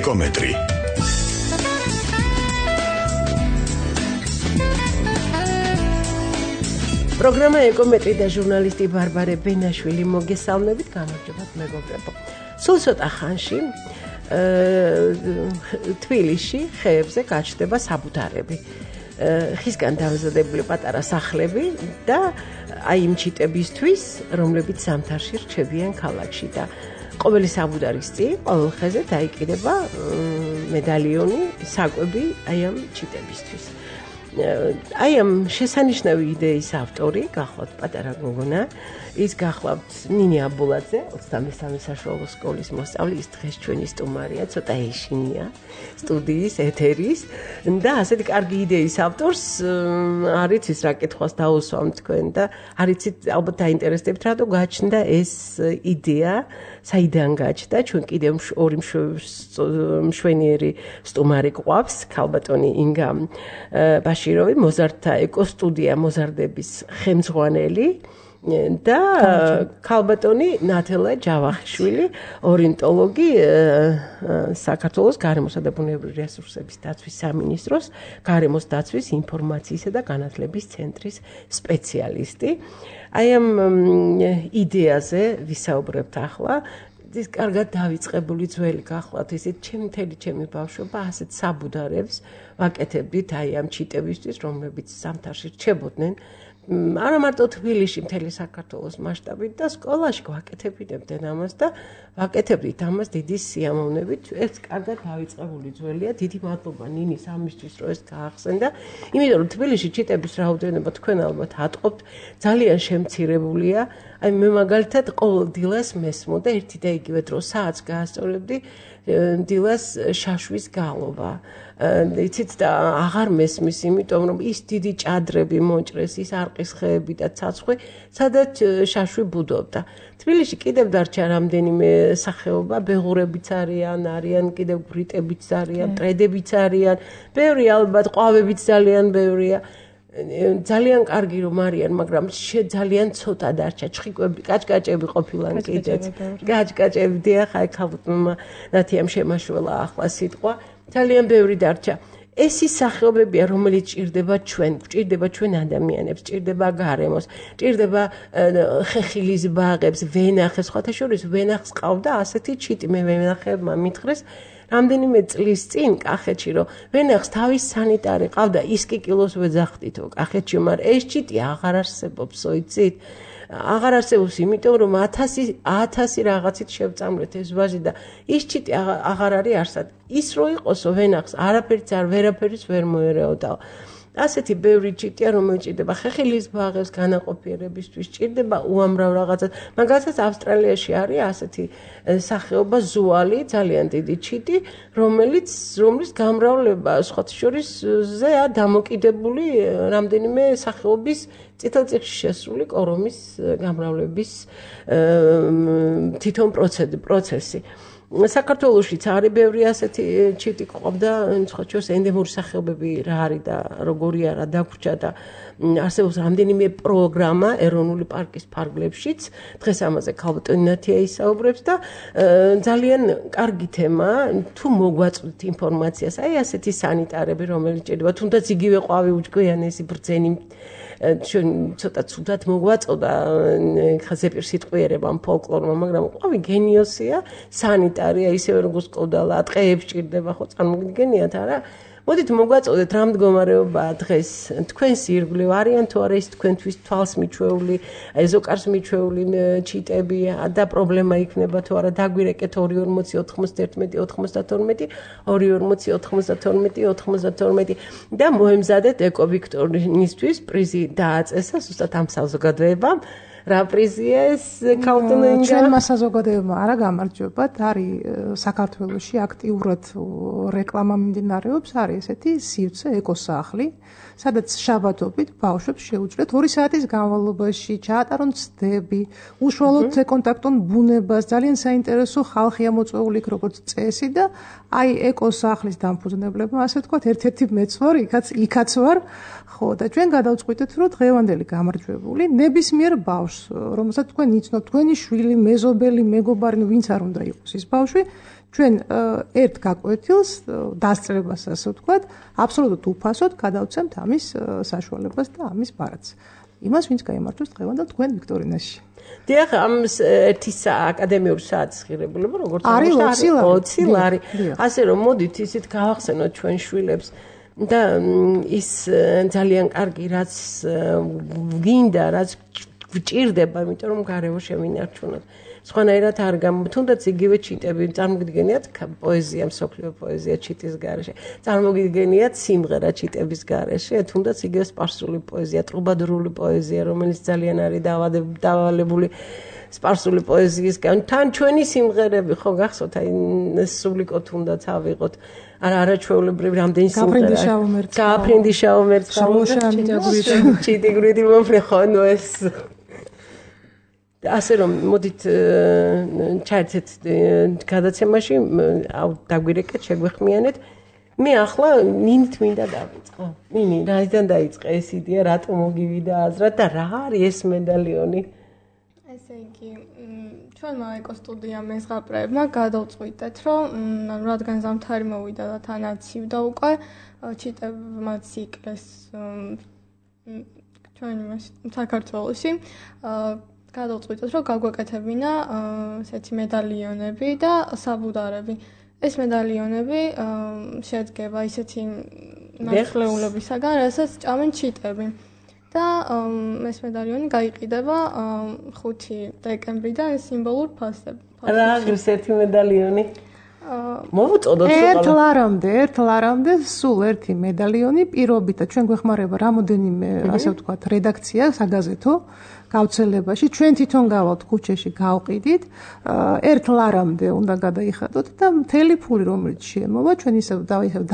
ეკომეტრი. პროგრამა ეკომეტრი და ჟურნალისტი ბარბარე ბენაშვილი მოგესალმებით, გამარჯობათ მეგობრებო. სულ ცოტა ხანში თბილისში ხეებზე გაჩნდება საბუდარები. ხისგან დამზადებული პატარა სახლები და აი იმ ჩიტებისთვის, რომლებიც ზამთარში რჩებიან ქალაქში და ყოველი საბუდარის წინ, ყოველ ხეზე დაიკიდება მედალიონი, საკვები აი ამ ჩიტებისთვის. აი ამ შესანიშნავი იდეის ავტორი გახლავთ პატარა გოგონა, ის გახლავთ ნინი აბულაძე, 23 საშუალო სკოლის მოსწავლე, ის დღეს ჩვენი სტუმარია, ცოტა ეშინია სტუდიის ეთერის და ასეთი კარგი იდეის ავტორს არც ის რა კითხვას დაუსვამ თქვენ და არც ალბათ დაინტერესდებთ რატო გაჩნდა ეს იდეა, საიდან გაჩნდა, ჩვენ კიდევ ორი მშვენიერი სტუმარი გვყავს, ქალბატონი ინგა ბაშიროვი, მოზარდთა ეკოსტუდია მოზარდების ხელმძღვანელი და ქალბატონი ნათელა ჯავახიშვილი, ორნიტოლოგი საქართველოს გარემოსა და ბუნებრივი რესურსების დაცვის სამინისტროს გარემოს დაცვის ინფორმაციისა და განათლების ცენტრის სპეციალისტი. აი ამ იდეაზე ვისაუბრებთ ახლა. ის კარგად დავიწყებული ძველი გახლავთ, ისეთ ჩემი ბავშვობა ასეთ საბუდარებს ვაკეთებდით აი ამ ჩიტებისთვის, რომლებიც ზამთარში რჩებოდნენ. არა მარტო თბილისში, მთელი საქართველოს მასშტაბით და სკოლაში ვაკეთებინებდნენ ამას და ვაკეთებდით ამას დიდი სიამოვნებით. ეს კარგად დავიწყებული ძველია. დიდი მადლობა ნინის ამისთვის, რომ ეს გაახსენდა. იმიტომ რომ თბილისში ჩიტების რაოდენობა თქვენ ალბათ ატყობთ, ძალიან შემცირებულია. აი მე მაგალითად ყოველ დილას მესმოდა ერთი და იგივე დრო საათს გაასწორებდი დილას შაშვის გალობა. იცით და აღარ მესმის, იმიტომ რომ ის დიდი ჭადრები მონჭრეს, ის არყის ხეები და ცაცხვი, სადაც შაშვი ბუდობდა. თბილისში კიდევ დარჩა რამდენიმე სახეობა, ბეღურებიც არიან, კიდევ ბრიტებიც არიან, ტრედებიც არიან, ბევრი ალბათ, ყვავებიც ძალიან ბევრია. ძალიან კარგი რომ არიან, მაგრამ ძალიან ცოტა დარჩა, ჩხიკვები, კაჭკაჭები ყოფილან კიდეც. კაჭკაჭები დიახ, აი ქალბატონმა ნათიამ შემაშველა ახლა სიტყვა. ძალიან ბევრი დარჩა. ეს ის სახეობებია, რომელიც გვჭირდება ჩვენ ადამიანებს, ჭირდება გარემოს, ჭირდება ხეხილის ბაღებს, ვენახებს, სხვათა შორის ვენახს ყავდა ასეთი ჩიტი, მე ვენახებმა მითხრეს რამდენიმე წლის წინ კახეთში, რომ ვენახს თავის სანიტარი ყავდა, ის კი კილოს ვეძახდითო კახეთში, მაგრამ ეს ჩიტი აღარ არსებობს, იცით? აღარ არსებობს, იმიტომ რომ 1000 რაღაცით შევწამლეთ ეს ვაზი და ის ჩიტი აღარ არის არსად. ის რო იყოსო ვენახს, არაფერიც ვერაფერის ვერ მოერეოდაო. ასეთი ბევრი ჩიტია, რომელიც ჭირდება ხეხილის ბაღებს განაყოფიერებისთვის, ჭირდება უამრავ რაღაცას. მაგალითად ავსტრალიაში არის ასეთი სახეობა ზუალი, ძალიან დიდი ჩიტი, რომლის გამრავლება სხვათა შორის ზეა დამოკიდებული რამდენიმე სახეობის წითელწიხში შესული კორომის გამრავლების თვითონ პროცესი. საქართველოშიც არის ბევრი ასეთი ჩიტი ყავდა, სხვათა ენდემური სახეობები რა არის და როგორი არა დაგვრჩა და არსებობს რამდენიმე პროგრამა ეროვნული პარკის ფარგლებშიც. დღეს ამაზე ქალბატონი ნათია ისაუბრებს და ძალიან კარგი თემაა, თუ მოგვაწვდით ინფორმაციას, აი ასეთი სანიტარები, რომელიც ჭირდება, თუნდაც იგივე ყვავი უჯგვიანესი ბრძენი ჩვენ ცოტა ცუდად მოგვაწოდა ხაზეპირ სიტყვიერებამ ფოლკლორმა, მაგრამ ყვავი გენიოსია, სანიტარია, ისევე როგორც კოდალა, ტყეებს ჭირდება, ხო წარმოგიდგენიათ არა? მოდით მოგვაწოდეთ რა მდგომარეობაა დღეს თქვენს ირგვლივ არიან თუ არა ის თქვენთვის თვალს მიჩვეული, ეზოკარს მიჩვეული ჩიტები და პრობლემა იქნება თუ არა დაგვირეკეთ 240 91 92 240 92 და მოემზადეთ ეკოვიქტორისთვის პრიზი დააწესა ზუსტად ამ საზოგადოებამ. რა პრიზია ეს ქალბატონინგა? ჩვენმა საზოგადოებამ არა გამარჯვებათ, არის საქართველოში აქტიურად რეკლამა მიმდინარეობს, არის ესეთი სივრცე ეკოსახლი, სადაც შაბათობით ბავშვებს შეუძლიათ 2 საათის განმავლობაში ჩაატარონ ცდები, უშუალოდ ეკონტაქტონ ბუნებას, ძალიან საინტერესო ხალხია მოწვეული როგორც წესი და აი ეკოსახლის დამფუძნებლებმა, ასე ვთქვათ, ერთ-ერთი მეც ვარ, იქაც ვარ, ხო და ჩვენ გადავწყვიტეთ, რომ დღევანდელი გამარჯვებული ნებისმიერ ბავშვს, რომელსაც თქვენ იცნობთ, თქვენი შვილი, მეზობელი, მეგობარი, ვინც არ უნდა იყოს ის ბავშვი, ჩვენ ერთ გაკვეთილს დასწრებას ასე ვთქვათ, აბსოლუტურად უფასოდ გადავცემთ ამის საშუალებას და ამის ბარათს. იმას ვინც გაიმართოს დღევანდელ თქვენ ვიქტორინაში. დიახ, ამ ერთი აკადემიური საათის ღირებულება როგორც არის 20 ლარი. ასე რომ მოდით ისეთ გავახსენოთ ჩვენ შვილებს და ის ძალიან კარგი რაც გინდა, რაც გვჭირდება, იმიტომ რომ გარეო შევინარჩუნოთ. სხვანაირად არ თუნდაც იგივე ჩიტები წარმოგიდგენიათ პოეზია, მსოფლიო პოეზია ჩიტის გარეშე. წარმოგიდგენიათ სიმღერა ჩიტების გარეშე, თუნდაც იგივე სპარსული პოეზია, ტრუბადურული პოეზია, რომელიც ძალიან არის დავალებული სპარსული პოეზიისგან. თან ჩვენი სიმღერები ხო გახსოვთ, აი სუბლიკო თუნდაც ავიღოთ. არაჩვეულებრივი რამდენი სიმღერა. გააფრინდი შაუმერცხა. ჩიტიგრიდი მომფრე ხო ნუ ეს ასე რომ მოდით ჩაერთეთ გადაცემაში დაგვირეკეთ შეგვეხმიანეთ მე ახლა ნინით მინდა დავიწყო ნინი რაიდან დაიწყე ეს იდეა რატომ მოგივიდა აზრად და რა არის ეს მედალიონი ესე იგი ჩვენმა ეკოსტუდია მეზღაპრეებმა გადავწყვიტეთ რომ რადგან ზამთარი მოვიდა და თანაც ივდა უკვე ჩიტებმა ციკლეს ჩვენ საქართველოში გადავწყვიტეთ რომ გაგვეკეთებინა ესეთი მედალიონები და საბუდარები. ეს მედალიონები შედგება ისეთი ნახლეულებისაგან, რასაც ჭამენ ჩიტები. და ეს მედალიონი გაიყიდება 5 დეკემბრიდან სიმბოლურ ფასად. რა არის ერთი მედალიონი? მოვუწოდოთ ერთ ლარამდე სულ ერთი მედალიონი პირობითად ჩვენ გვეხმარება რამოდენიმე ასე ვთქვათ რედაქცია საგაზეთო გავრცელებაში ჩვენ თვითონ გავალთ ქუჩაში გავყიდით ერთ ლარამდე უნდა გადაიხადოთ და მთელი ფული რომელიც შემოვა ჩვენ ისევ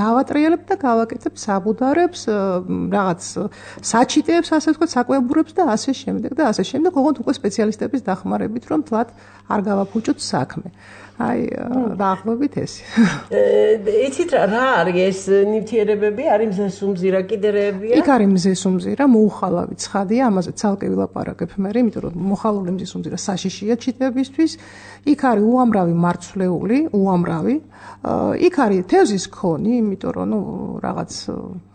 დავატრიალებთ და გავაკეთებთ საბუდარებს რაღაც საჩიტეებს ასე ვთქვათ საკვებურებს და ასე შემდეგ ოღონდ უკვე სპეციალისტების დახმარებით რომ თლად არ გავაფუჭოთ საქმე აი დაახლოებით ეს. იცით რა არის ეს ნივთიერებები? არის მზესუმზირა, კიდრეებია? იქ არის მზესუმზირა, მოუხალავი ცხადია, ამაზე ცალკე ვილაპარაკებ მე, იმიტომ რომ მოხალული მზესუმზირა საშიშია ჩიტებისთვის. იქ არის უამრავი მარცვლეული, იქ არის თევზის ქონი, იმიტომ რომ რაღაც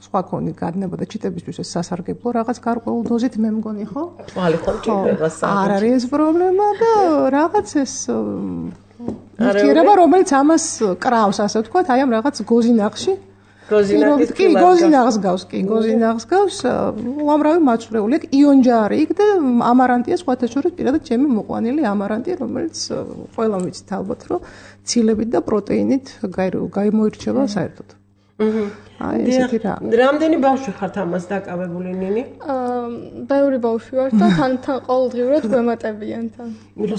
სხვა ქონი გადნებოდა ჩიტებისთვის ეს სასარგებლო რაღაც გარკვეულ დოზით მე მგონი ხო? თვალი ხო ჭირდება საერთოდ. არ არის ეს პრობლემა და რაღაც ეს ნივთიერება რომელიც ამას კრავს ასე ვთქვათ აი ამ რაღაც გოზინახში გოზინახს გავს უამრავი მარცვლეული იქ იონჯარი იქ და ამარანტია სხვათა შორის პირადად ჩემი მოყვანილი ამარანტი რომელიც ყველამ ვიცით ალბათ რომ ცილებით და პროტეინით გამოირჩევა საერთოდ აი ესეთი რა რამდენი ბავშვი ხართ ამას დაკავებული ნინი? ბევრი ბავშვი ვარ და თან ყოველდღიურად გვემატებიან თან.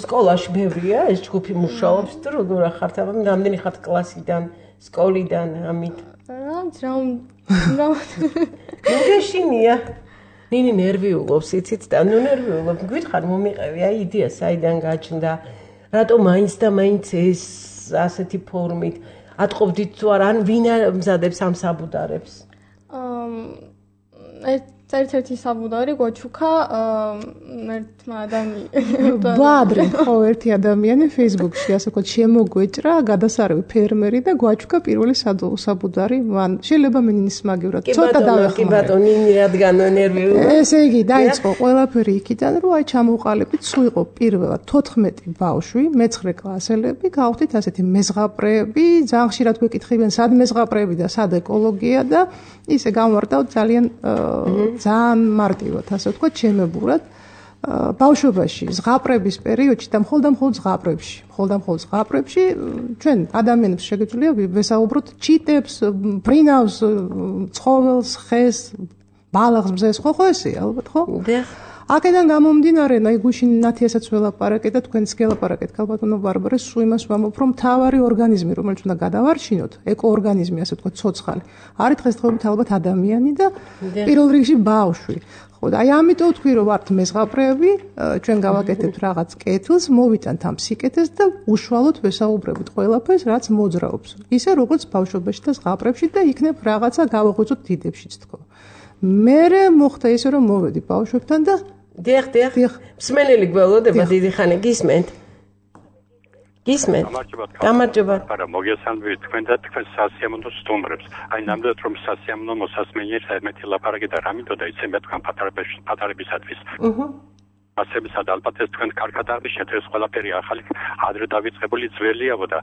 სკოლაში ბევრია ეს ჯგუფი მუშაობს და როგორ ხართ ამან რამდენი ხართ კლასიდან, სკოლიდან ამით? მოგეშინია. ნინი ნერვიულობს, იცით და ნერვიულობ. გითხარ მომიყევი აი იდეა საიდან გაჩნდა? რატომ მაინც და მაინც ეს ასეთი ფორმით ატყობდით თუ არა ან ვინ მზადებს ამ საბუდარებს? ერთ-ერთი საბუდარი გვაჩუქა ერთმა ადამიანმა. ბადრი ხო ერთი ადამიანი Facebook-ში ასე ვთქვათ შემოგვეჭრა გადასარევი ფერმერი და გვაჩუქა პირველი საბუდარი მან შეიძლება მინინის მაგივრად ცოტა დავეხმარე. კი ბატონო ნინი რადგან ნერვიულია. ესე იგი დაიწყო ყველაფერი იქიდან რომ აი ჩამოვყალიბდით სულ იყო პირველად 14 ბავშვი მეცხრე კლასელები გავხდით ასეთი მეზღაპრეები ძალიან ხშირად გვეკითხებიან სად მეზღაპრეები და სად ეკოლოგია და ისე გამოვარდავთ ძალიან მარტივად ასე ვთქვათ ჩემებურად ბავშვობაში ზღაპრების პერიოდში და მხოლოდ ზღაპრებში ჩვენ ადამიანებს შეგეძლია ვესაუბროთ ჩიტებს, ბრინავს, ცხოველს, ხეს, ბალახს, მზეს, ხო ესეა ალბათ ხო? აქედან გამომდინარე, აი გუშინ ნათიასაც ველაპარაკეთ და თქვენც გელაპარაკეთ ქალბატონო ბარბარეს, სულ იმას ვამბობ, რომ მთავარი ორგანიზმი, რომელიც უნდა გადავარჩინოთ, ეკოორგანიზმი, ასე ვთქვათ, ცოცხალი, არის დღესდღეობით ალბათ ადამიანი და პირველ რიგში ბავშვი. ხო, აი ამიტომ ვთქვი, რომ ვართ მეზღაპრეები, ჩვენ გავაკეთებთ რაღაც კეთილს, მოვიტანთ ამ სიკეთეს და უშუალოდ ვესაუბრებით ყველაფერს, რაც მოძრაობს. ისე როგორც ბავშვობაში და ზღაპრებში და იქნებ რაღაცა გავაღვიძოთ დიდებშიც თქო. მერე მოხდა ისე რომ მოვედი ბავშვებთან და დიახ მსმენელი გველოდება დიდი ხანი გისმენთ გისმენთ? გამარჯობა. არა, მოგესალმებით თქვენ და თქვენ სასიამოვნო სტუმრებს. აი ნამდვილად რომ სასიამოვნო მოსასმენია საერთმეტი ლაპარაკი და რამითო და იცემთ თქვენ პატარებისათვის. ასებისა და ალბათ ეს თქვენ კარგად აღნიშნეთ ეს ყველაფერი ახალი ადრე დავიწყებული ძველიაო და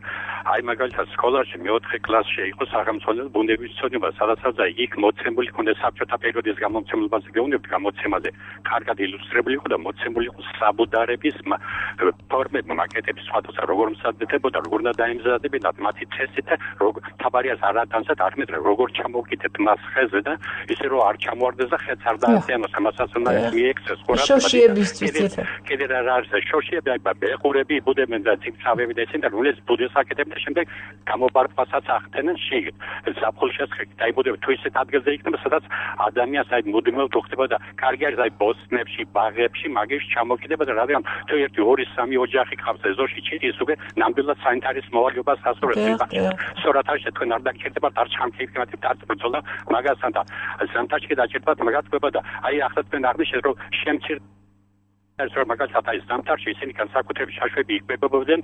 აი მაგალითად სკოლაში მე-4 კლასში იყო სახელმწიფო ბუნების ცოდნება სადაც იქ მოცემული ქონდა საბჭოთა პერიოდის გამომცემლობაზე გეუბნებით გამოცემაზე კარგად ილუსტრირებული იყო და მოცემული იყო საბუდარების ფორმები მაკეტები სხვადასხვა როგორ მსაჯდებოდა როგორ უნდა დაემზადებინათ მათი წესით და როგორ თაბარიას არ ატანსათ არ მეტყვი როგორ ჩამოვკიდეთ მას ხეზე და ისე რომ არ ჩამოვარდეს და ხეც არ დაასიანოს ამასაც უნდა მიექცეს ხურა კიდე რა არის შოშიები ბეხურები იბუდებენ და ციფრავები და ისინი და რულეს ბუდეს აკეთებენ და შემდეგ გამობარყვასაც ახდენენ შიგ ზაფხულშიც დაიბუდებენ თუ ისეთ ადგილზე იქნება სადაც ადამიანს აი მუდმივად უხდება და კარგი არის აი ბოსტნებში ბაღებში მაგებში ჩამოკიდება და რადგან თუ 1-2-3 ოჯახი ყავს ეზოში ჩიტის უკვე ნამდვილად სანიტარის მოვალეობას ასწორებს სწორად არის თქვენ არ დაგჭირდებათ არ ჩამქეიფებათ არ ბრძოლა მაგასთან და ზამთარში დაჭირდებათ მაგას ყვება და აი ახლა თქვენ აღნიშნეთ რომ შემცირ ეს რომ მაგალითად აი ზამთარში ისინი განსაკუთრებით შაშვები იკვებებოდნენ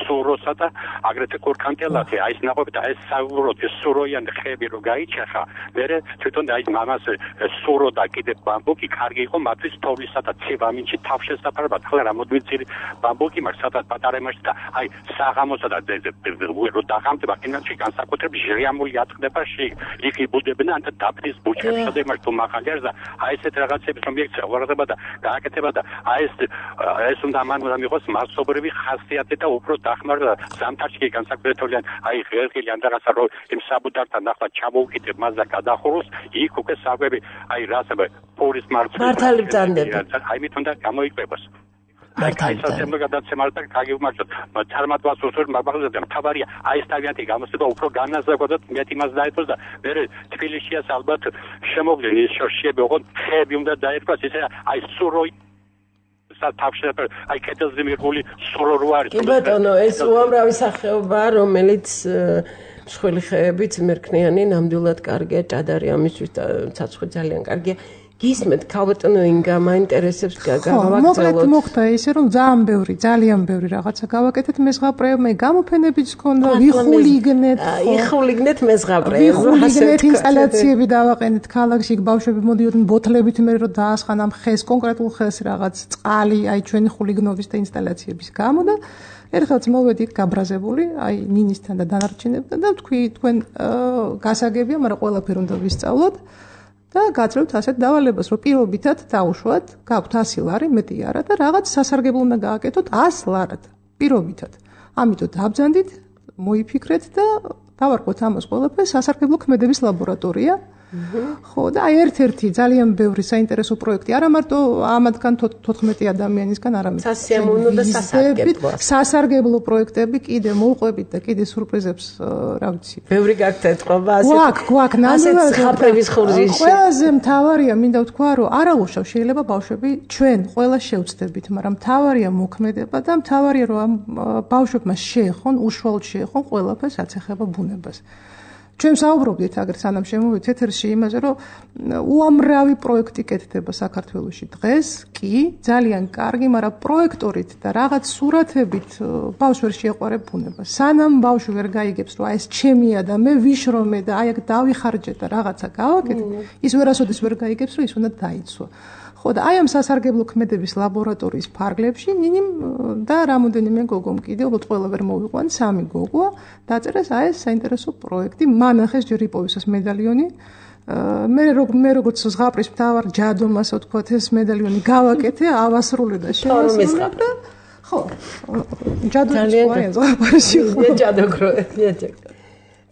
სუროსა და აგრეთვე კორკანტელათი აი ეს ნაყოფი და ეს საუბრობთ სუროიან ხეები რო გაიჩეხა მერე თვითონ აი მამას სურო და კიდე ბამბუკი კარგი იყო მათთვის თოვლისა და ცივამინჩი თავშესაფარებად ხლა რამოდენიც ბამბუკი მაქვს სადაც პატარემაში და აი საღამოსა და რო დაღამდება კინოში განსაკუთრებით ჟრიამული ატყდება იქ იბუდებენ ან დაფრის ბუჩებში და იმას თუ მაღალიერს და აი ესეთ რაღაცებს რომ მიექცია ვარდება და გააკეთება და ეს უნდა ამან მიღოს მასობრივი ხასიათი და უფრო დახმარება ზამთარში განსაკუთრებით აი ღერღილი ან რაღაცა რომ იმ საბუდართან ახლა ჩამოუკიდებ მას და გადახუროს იქ უკვე საკვები აი რასება პურის მართალი ბრძანდები აი მით უნდა გამოიკვებოს მართალია გადაცემა და გაგიმარჯოთ წარმატებას უსურვებ მაგალითად და მთავარია აი ეს თავიანთი გამოსება უფრო განაზრებოდათ მეტი მას დაეთოს და მე თბილისშიას ალბათ შემოგვიდნენ ის შორშიები ოღონდ ხეები უნდა დაერქვას ისე აი სუროი თავშეფერ აი კეთილზე მიღული სურო რო არის კი ბატონო ეს უამრავი სახეობაა რომელიც მსხვილი ხეებით მერქნიანი ნამდვილად კარგია ჭადარი ამისთვის ცაცხვი ძალიან კარგია გისმენთ ქალბატონო ინგა მაინტერესებს გავაგრძელოთ მოხდა ისე რომ ძალიან ბევრი რაღაცა გავაკეთეთ მეზღაპრეებმა გამოფენებიც ჰქონდა ვიხულიგნეთ მეზღაპრეებს ვიხულიგნეთ ინსტალაციები დავაყენეთ ქალაქში ბავშვები მოდიოდნენ ბოთლებით მე რომ დაასხან ამ ხეს კონკრეტულ ხეს რაღაც წყალი აი ჩვენი ხულიგნობის და ინსტალაციების გამო და ერთხელაც მოვედი გაბრაზებული აი ნინისთან და დანარჩენებთან და თქვი თქვენ გასაგებია მაგრამ ყველაფერი უნდა ვისწავლოთ და გაძლევთ ასეთ დავალებას, რომ პირობითად დაუშვათ, გაქვთ 100 ლარი, მეტი არა და რაღაც სასარგებლო უნდა გააკეთოთ 100 ლარად, პირობითად. ამიტომ დაბრძანდით, მოიფიქრეთ და დავარკვეთ ამას ყველაფერს სასარგებლო ქმედების ლაბორატორია. ხო და აი ერთ-ერთი ძალიან ბევრი საინტერესო პროექტი არა მარტო ამათგან 14 ადამიანისგან არამედ სასიამოვნო და სასარგებლო პროექტები კიდე მოვყვებით და კიდე სურპრიზებს რა ვიცი ბევრი გაქვთ ეთყობა გვაქვს ნამდვილად ხაფრების ხურზიში ყველაზე მთავარია მინდა ვთქვა რომ არაუშავ შეიძლება ბავშვები ჩვენ ყველა შევწდებით მაგრამ მთავარია მოქმედება და მთავარია რომ ამ ბავშვებმა შეეხონ უშუალოდ შეეხონ ყველაფერს რაც ეხება ბუნებას ჩვენ საუბრობდით აგერ სანამ შემოვიდეთ ეთერში იმაზე რომ უამრავი პროექტი კეთდება საქართველოში დღეს კი ძალიან კარგი მაგრამ პროექტორით და რაღაც სურათებით ბავშვს ვერ შეეყვარებ ბუნება სანამ ბავშვი ვერ გაიგებს რომ აი ეს ჩემია და მე ვიშრომე და აი აქ დავიხარჯე და რაღაცა გავაკეთე ის ვერასოდეს ვერ გაიგებს რომ ის უნდა დაიცვა ხო და აი ამ სასარგებლო ქმედების ლაბორატორიის ფარგლებში ნინიმ და რამოდენიმე გოგომ კიდე უბრალოდ ყველა ვერ მოვიყვან 3 გოგოა დაწერეს აი ეს საინტერესო პროექტი მან ახეს ჯერ იპოვეს მედალიონი მე როგორც ზღაპრის მთავარ ჯადომ ასე ვთქვათ ეს მედალიონი გავაკეთე ავასრულე და შევასრულე და ხო ჯადო ზღაპარში ჯადო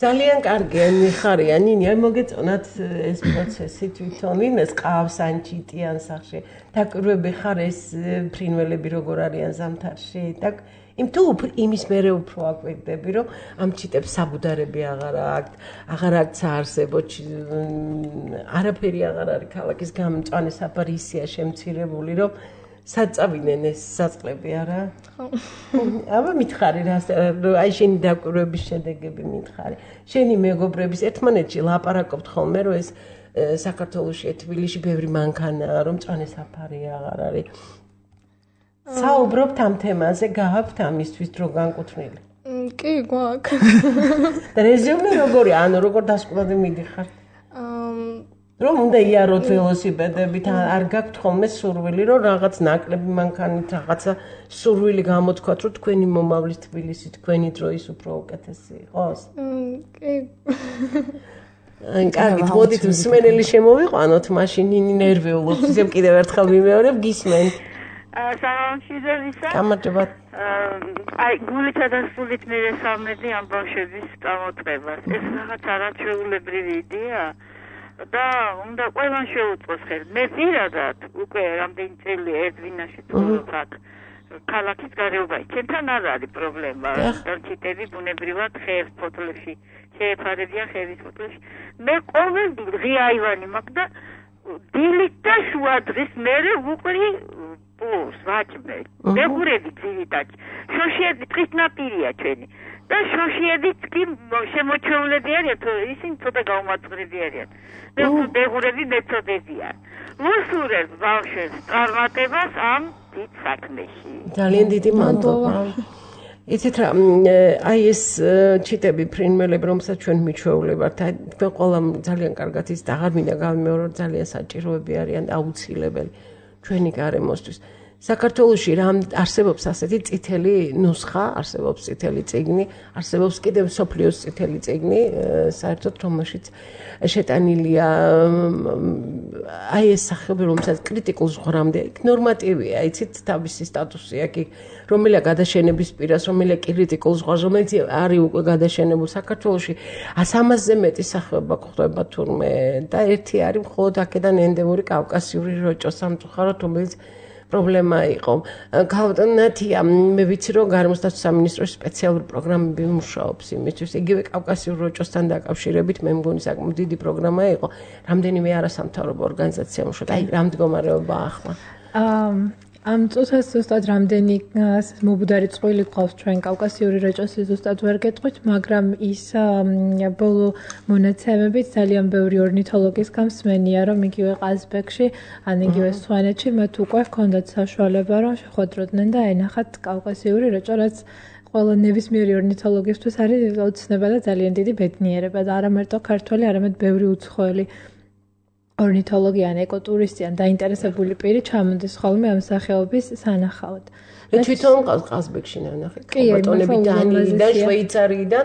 ძალიან კარგია მიხარია ნინი აი მოგეწონათ ეს პროცესი თვითონ იმეს ყავს ან ჩიტიან სახში დაკვირვები ხარ ეს ფრინველები როგორ არიან ზამთარში და იმ თუ იმის მერე უფრო აკვირდები რომ ამ ჩიტებს საბუდარები აღარ აქვს საარსებო არაფერი აღარ არის ქალაქის გამწვანე საფარი ისეა შემცირებული რომ საწავიდნენ ეს საწყლები არა? ხო. აბა მითხარი რა აი შენი დაკვირვების შედეგები მითხარი. შენი მეგობრების ერთმანეთში ლაპარაკობთ ხოლმე რომ ეს საქართველოში თბილისში ბევრი მანქანაა რომ მწვანე საფარი აღარ არის. საუბრობთ ამ თემაზე, გააქვთ ამისთვის დრო განკუთვნილი? კი, გვაქვს. და რეზიუმე როგორია? ანუ როგორ დასკვნად მიდიხარ? რომ უნდა იაროთ ველოსიპედებით, არ გაქვთ ხოლმე სურვილი, რომ რაღაც ნაკლები მანქანით, რაღაცა სურვილი გამოთქვათ, რომ თქვენი მომავლის თბილისი, თქვენი დროის უფრო უკეთესი იყოს? კი. აი, კარგი, მოდით მსმენელი შემოვიყვანოთ, მაშინ ნერვიულობთ, ისევ კიდევ ერთხელ ვიმეორებ, გისმენთ. სამშვიდობისა. გამარჯობა. აი, გულითა და სულით მივესალმები ამ ბავშვების წამოწყებას. ეს რაღაც არაჩვეულებრივი იდეა და უნდა ყველამ შეუწყოს ხელი. მე პირადად უკვე რამდენი წელი ერთვინაში ცხოვრობ აქ. ქალაქის გარეუბანი. ჩემთან არ არის პრობლემა. დონჩიტები ბუნებრივად ხეებს ფოთლებში შეეფარებიან ხეების ფოთლებში. მე ყოველდღე ღია აივანი მაქვს და დილით და შუა დღის მერე ვუყრი პულს ვაჭმე. მეგურები ძირითადად. შოშიები ტყის ნაპირია ჩვენი. და შოშიებიც კი შემოჩეულები არიან, ისინი ცოტა გაუმარცხლები არიან. მეგურები მეწოდებიან. ვუსურებ ბავშვებს წარმატებას ამ დიდ საქმეში. ძალიან დიდი მადლობა. იცით რა, აი ეს ჩიტები ფრინველები, რომელსაც ჩვენ მიჩვეულებართ, აი თქვენ ყველამ ძალიან კარგად ის და აღარ მინდა გავიმეორო, ძალიან საჭიროები არიან და აუცილებელი ჩვენი გარემოსთვის. საქართველოში რა არსებობს ასეთი წითელი ნუსხა, არსებობს წითელი წიგნი, არსებობს კიდევ სოფლიოს წითელი წიგნი, საერთოდ რომელშიც შეტანილია აი ეს სახეობები, რომელსაც კრიტიკულ ზღვრამდე იქ ნორმატივია, იცით თავისი სტატუსი აქ რომელია გადაშენების პირას, რომელია კრიტიკულ ზღვარს, რომელიც არის უკვე გადაშენებულ საქართველოში 300-ზე მეტი სახეობა გვხვდება თურმე და ერთი არის მხოლოდ აქედან ენდემური კავკასიური როჭო სამწუხაროდ, რომელიც პრობლემა იყო. ქალბატონ ნათია, მე ვიცი რომ გარემოსდაცვის სამინისტროს სპეციალური პროგრამები მუშაობს იმისთვის. იგივე კავკასიურ როჭოსთან დაკავშირებით მე მგონი საკმაოდ დიდი პროგრამა იყო. რამდენიმე არასამთავრობო ორგანიზაცია მუშაობს. აი, რა მდგომარეობაა ახლა? ამ წუთას ზუსტად რამდენი მობუდარი წყვილი ყავს ჩვენ კავკასიური როჭოსი ზუსტად ვერ გეტყვით, მაგრამ ის ბოლო მონაცემებით ძალიან ბევრი ორნითოლოგის გამსმენია, რომ იგივე ყაზბეგში, ან იგივე სვანეთში მათ უკვე ჰქონდათ საშუალება, რომ შეხვედროდნენ და ენახათ კავკასიური როჭო, რაც ყველა ნებისმიერი ორნითოლოგისთვის არის ოცნება და ძალიან დიდი ბედნიერება და არა მარტო ქართველი, არამედ ბევრი უცხოელი ორნითოლოგი ან ეკოტურისტი ან დაინტერესებული პირი ჩამოდის ხოლმე ამ სახეობის სანახავად. მე თვითონ ყაზბეგში ნახე ბატონები დანიიდან, შვეიცარიიდან,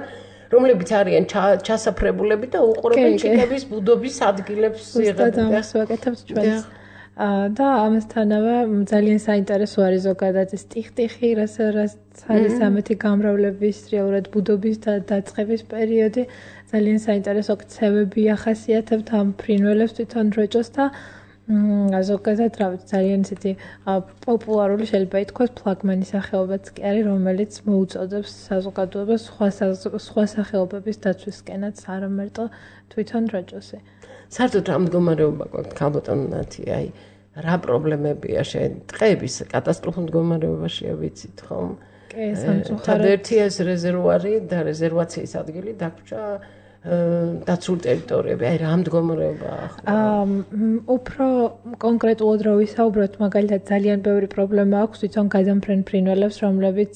რომლებიც არიან ჩასაფრებულები და უყურებენ ჩიტების ბუდობის ადგილებს ზუსტად ამას ვაკეთებთ ჩვენს. და ამასთანავე ძალიან საინტერესო არის ზოგადად ეს ტიხტიხი, რაც არის ამეთი გამრავლების რეალურად ბუდობის და დაწყების პერიოდი. ძალიან საინტერესო ქცევები ახასიათებთ ამ ფრინველებს თვითონ როჭოს და ზოგადად რა ვიცი ძალიან ისეთი პოპულარული შეიძლება ითქვას ფლაგმანი სახეობაც კი არის, რომელიც მოუწოდებს საზოგადოებას სხვა სახეობების დაცვისკენაც, არა მარტო თვითონ როჭოსი. საერთოდ რა მდგომარეობა გვაქვს ქალბატონ ნათია, აი რა პრობლემებია შენ ტყეების კატასტროფულ მდგომარეობაშია ვიცით ხომ? კი, სამწუხაროდ. ერთია ეს რეზერვუარი და რეზერვაციის ადგილი დაგვრჩა დაცულ ტერიტორიები, აი რა მდგომარეობაა ახლა? უფრო კონკრეტულად რო ვისაუბროთ, მაგალითად ძალიან ბევრი პრობლემა აქვს თვითონ გადამფრენ ფრინველებს, რომლებიც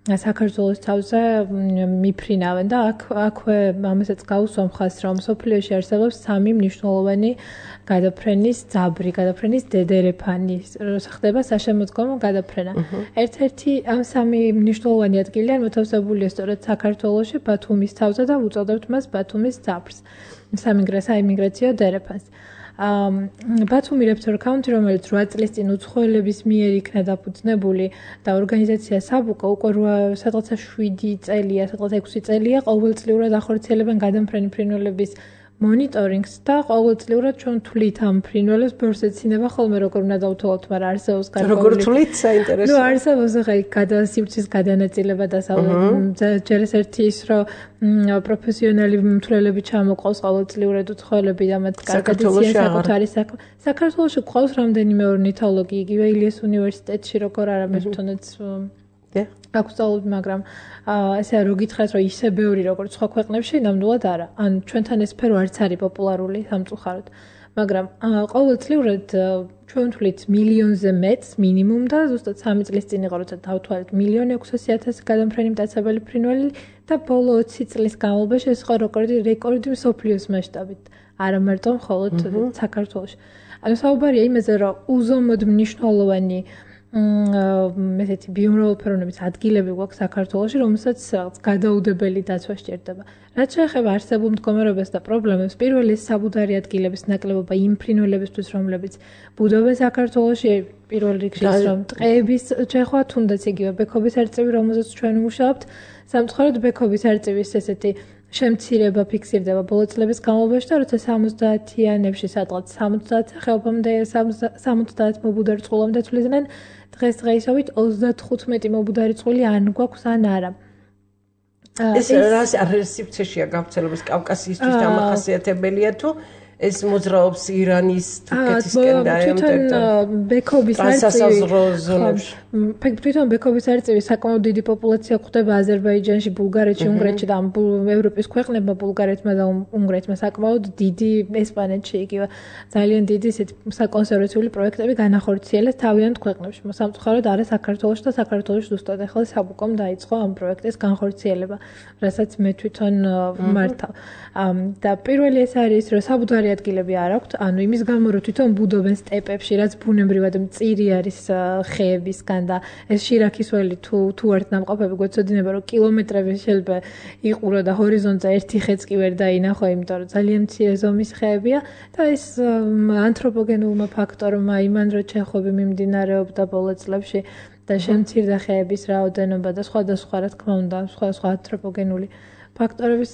საქართველოს თავზე მიფრინავენ და აქვე ამასაც გავუსვამ ხაზს, რომ სოფლიოში არსებობს 3 მნიშვნელოვანი გადაფრენის ძაბრი, გადაფრენის დედერეფანი, ხდება საშემოდგომო გადაფრენა. ერთ-ერთი ამ 3 მნიშვნელოვანი ადგილიდან მოთავსებულია სწორედ საქართველოში, ბათუმის თავზე და უწოდებთ მას ბათუმის ძაბრს, საიმიგრაციო დერეფანს. ბათუმი რეპტორ კაუნტი, რომელიც 8 წლის წინ უცხოელების მიერ იქნა დაფუძნებული და ორგანიზაცია საბუკა უკვე სადღაცა 7 წელია, სადღაცა 6 წელია ყოველწლიურად ახორციელებენ გადამფრენი ფრინველების მონიტორინგს და ყოველწლიურად ჩვენ თვლით ამ ფრინველებს ბევრს ეცინება ხოლმე როგორ უნდა დავთვალოთ, მაგრამ არსებობს გარკვეული როგორ თვლით საინტერესო. ნუ არსებობს ახლა გადასივრცის გადანაწილება და ჯერ ეს ერთი ის რომ პროფესიონალი მთლელები ჩამოყავს ყოველწლიურად უცხოელები და მათ კარგად იციან საკუთარი საქმე. საქართველოში ყავს რამდენიმე ორნითოლოგი, იგივე ილიას უნივერსიტეტში როგორ არა მე თვითონაც აქვს სწავლობდი, მაგრამ ესე რო გითხრათ რომ ისე ბევრი როგორც სხვა ქვეყნებში, ნამდვილად არა. ან ჩვენთან ეს სფერო არც არის პოპულარული სამწუხაროდ. მაგრამ ყოველწლიურად ჩვენ ვთვლით მილიონზე მეტს მინიმუმ და ზუსტად 3 წლის წინ იყო როცა დავთვალეთ 1.600.000 გადამფრენი მტაცებელი ფრინველი და ბოლო 20 წლის განმავლობაში ეს იყო რეკორდი მსოფლიოს მასშტაბით, არა მარტო მხოლოდ საქართველოში. ანუ საუბარია იმაზე, რომ უზომოდ მნიშვნელოვანი ესეთი ბიომრავალფეროვნების ადგილები გვაქვს საქართველოში, რომელსაც გადაუდებელი დაცვა სჭირდება. რაც შეეხება არსებულ მდგომარეობას და პრობლემებს, პირველი საბუდარი ადგილების ნაკლებობა იმ ფრინველებისთვის, რომლებიც ბუდობენ საქართველოში, პირველ რიგში რომ ტყეების ჩეხვა, თუნდაც იგივე ბექობის არწივი, რომელზეც ჩვენ ვმუშაობთ, სამწუხაროდ ბექობის არწივის ესეთი შემცირება ფიქსირდება ბოლო წლების განმავლობაში და როცა 70-იანებში სადღაც 70 ხეობამდე 70 მობუდარი წყვილამდე თვლიდნენ, დღესდღეობით 35 მობუდარი წყვილი ან გვაქვს ან არა. ეს რას სივრცეშია გავრცელების კავკასიისთვის დამახასიათებელია თუ ეს მოძრაობს ირანის, თურქეთისკენ და ბექობის თვითონ ბექობის არწივი საკმაოდ დიდი პოპულაცია გვხვდება აზერბაიჯანში, ბულგარეთში, უნგრეთში და ევროპის ქვეყნებმა, ბულგარეთმა და უნგრეთმა საკმაოდ დიდი ესპანეთში იგივე ძალიან დიდი ისეთი საკონსერვაციული პროექტები განახორციელეს თავიანთ ქვეყნებში. სამწუხაროდ არა საქართველოში და საქართველოში ზუსტად ახლა საბუკომ დაიწყო ამ პროექტის განხორციელება, რასაც მე თვითონ მართავ. და პირველი ეს არის, რომ საბუდარი ადგილები არ აქვთ, ანუ იმის გამო რომ თვითონ ბუდობენ სტეპებში, რაც ბუნებრივად მწირი არის ხეებისგან და ეს შირაქისველი თუ ერთ ნამყოფები გვეცოდინება რომ კილომეტრები შეიძლება იყურო და ჰორიზონტზე ერთი ხეც კი ვერ დაინახო, იმიტომ რომ ძალიან მცირე ზომის ხეებია და ეს ანთროპოგენულმა ფაქტორმა იმან რომ ჩეხობი მიმდინარეობდა ბოლო წლებში და შემცირდა ხეების რაოდენობა და სხვადასხვა რა თქმა უნდა სხვა ანთროპოგენული ფაქტორების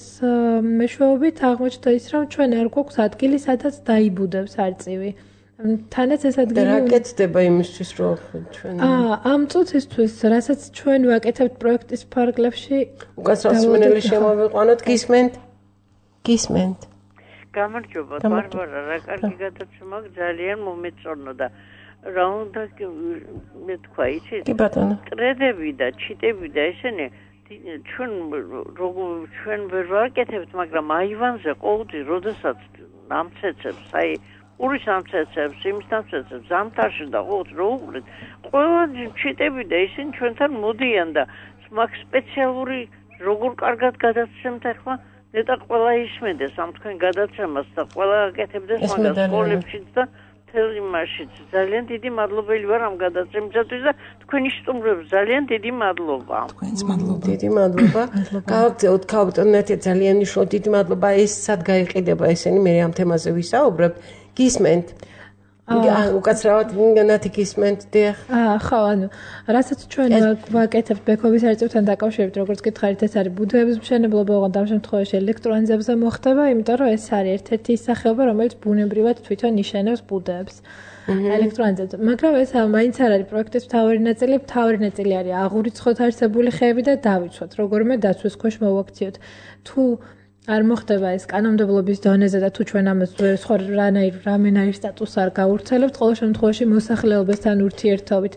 მეშვეობით აღმოჩნდა ის, რომ ჩვენ არ გვაქვს ადგილი, სადაც დაიბუდებს არწივი. თანაც ეს ადგილი რა გეცდება იმისთვის, რომ ჩვენ ამ წუთისთვის, რასაც ჩვენ ვაკეთებთ პროექტის ფარგლებში, უკაცრავსმენელი შემოვიყვანოთ, გისმენთ. გამარჯობა, ბარბარა, რა კარგი გადაცემა ძალიან მომეწონა და რა უნდა მე თქვა, იცით? კი ბატონო. ტრედები და ჩიტები და ესენი ჩვენ ვერ ვაკეთებთ, მაგრამ აივანზე ყოველთვის როდესაც ამცეცებს, აი ურის ამცეცებს, იმის ამცეცებს, ზამთარში და ყოველთვის რო უყურეთ, ყველა ჩიტები და ისინი ჩვენთან მოდიან და მაგ სპეციალური როგორ კარგად გადაცემთ ახლა, ნეტა ყველა ისმენდეს ამ თქვენ გადაცემას და ყველა აკეთებდეს მაგას სკოლებშიც და თელიმაშიც. ძალიან დიდი მადლობელი ვარ ამ გადაცემისათვის და თქვენი სტუმრებს ძალიან დიდი მადლობა. თქვენს მადლობა. დიდი მადლობა. გავაგზავნოთ ქავტონეთე ძალიან მნიშვნელოვანი დიდი მადლობა. ეს სად გაიყიდება ესენი მე ამ თემაზე ვისაუბრებთ. გისმენთ. უკაცრავად ნათი გისმენთ დიახ. ხო, ანუ რასაც ჩვენ ვაკეთებთ ბექობის არწივთან დაკავშირებით, როგორც გითხარით, ეს არის ბუდეების მშენებლობა, ოღონდ ამ შემთხვევაში ელექტროანძებზე მოხდება, იმიტომ რომ ეს არის ერთ-ერთი ის სახეობა, რომელიც ბუნებრივად თვითონ იშენებს ბუდეებს. ელექტროანძებზე. მაგრამ ეს მაინც არ არის პროექტის მთავარი ნაწილი. მთავარი ნაწილი არის აღურიცხოთ არსებული ხეები და დავიცვათ, როგორმე დაცვის ქვეშ მოვაქციოთ. თუ არ მოხდება ეს კანონმდებლობის დონეზე და თუ ჩვენ ამას სხვა რამენაირ სტატუსს არ გავრცელებთ, ყოველ შემთხვევაში მოსახლეობასთან ურთიერთობით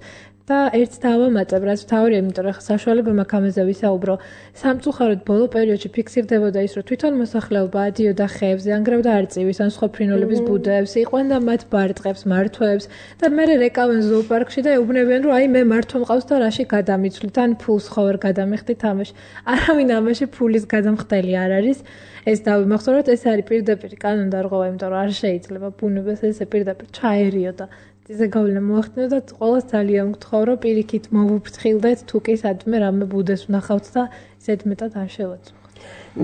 და ერთს დავამატებ, რაც მთავარია, იმიტომ რომ საშუალება მაქვს ამაზე ვისაუბრო. სამწუხაროდ ბოლო პერიოდში ფიქსირდებოდა ის, რომ თვითონ მოსახლეობა ადიოდა ხეებზე, ანგრევდა არწივის ან სხვა ფრინველების ბუდეებს, იყვანდა მათ ბარტყებს, მართვებს და მერე რეკავენ ზოოპარკში და ეუბნებიან, რომ აი მე მართვა მყავს და რაში გადამიცვლით, ან ფულს ხო ვერ გადამიხდით ამაში. არავინ ამაში ფულის გადამხდელი არ არის. ეს დავიმახსოვროთ, ეს არის პირდაპირ კანონდარღვევა, იმიტომ რომ არ შეიძლება ბუნებას ესე პირდაპირ ჩაერიო და ისე გავლენა მოახდინო და ყველას ძალიან გთხოვ, რომ პირიქით მოვუფრთხილდეთ, თუ კი სადმე რამე ბუდეს ვნახავთ და ისეთ მეტად არ შევაწუხოთ.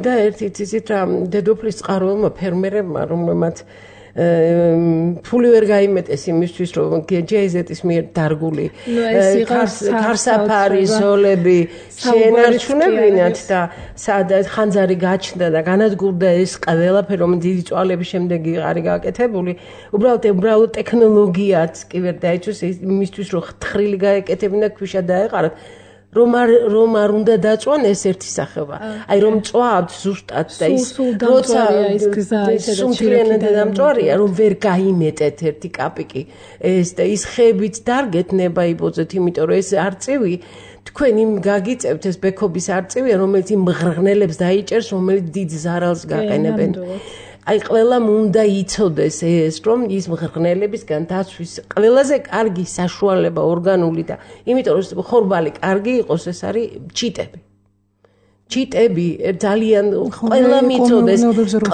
და ერთი ციცით რა დედოფლის წყაროელმა ფერმერებმა, რომელმაც ფული ვერ გაიმეტეს იმისთვის, რომ GIZ-ის მიერ დარგული ქარსაფარი ზოლები შეენარჩუნებინათ და სადაც ხანძარი გაჩნდა და განადგურდა ეს ყველაფერი, რომ დიდი წვალების შემდეგ არის გაკეთებული. უბრალოდ ტექნოლოგიაც კი ვერ დაიცვეს იმისთვის, რომ თხრილი გაეკეთებინა ქვიშა დაეყარათ. რომ არ უნდა დაწვან ეს ერთი სახეობა. აი რომ წვავთ ზუსტად და ის როცა ის გზა სუმთლიანად დამწვარია, რომ ვერ გაიმეტეთ ერთი კაპიკი ეს და ის ხეებით დარგეთ ნებაიბოძეთ, იმიტომ რომ ეს არწივი თქვენ იმ გაგიწევთ ეს ბექობის არწივია, რომელიც იმ მღრღნელებს დაიჭერს, რომელიც დიდ ზარალს გაყენებენ. აი ყველამ უნდა იცოდეს ეს, რომ ის მღრღნელებისგან დაცვის ყველაზე კარგი საშუალება ორგანული და იმიტომ რომ ხორბალი კარგი იყოს, ეს არის ჩიტები. ჩიტები ძალიან ყველა მიწოდეს,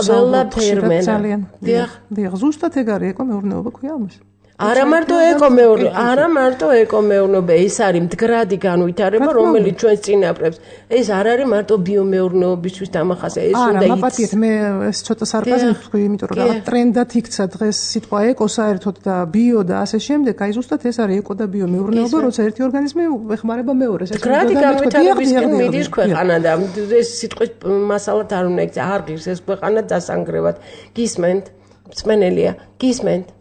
ყველა ფერმერა. დიახ, ზუსტად ეგ არის ეკომეურნეობა ქვია ამას. არა მარტო ეკომეურნეობა, ეს არის მდგრადი განვითარება, რომელიც ჩვენს წინაპრებს. ეს არ არის მარტო ბიომეურნეობისთვის დამახასიათებელი, ეს უნდა იცოდეს. პატიეთ, მე ეს ცოტა სარკაზმი ვთქვი, იმიტომ რომ რაღაც ტრენდად იქცა დღეს სიტყვა ეკო საერთოდ და ბიო და ასე შემდეგ. აი ზუსტად ეს არის ეკო და ბიომეურნეობა, როცა ერთი ორგანიზმი ეხმარება მეორეს. ეს მდგრადი განვითარებისკენ მიდის ქვეყანა და ეს სიტყვის მასალად არ უნდა იქცე, არ ღირს ეს ქვეყანა დასანგრევად. გისმენთ? მსმენელია, გისმენთ?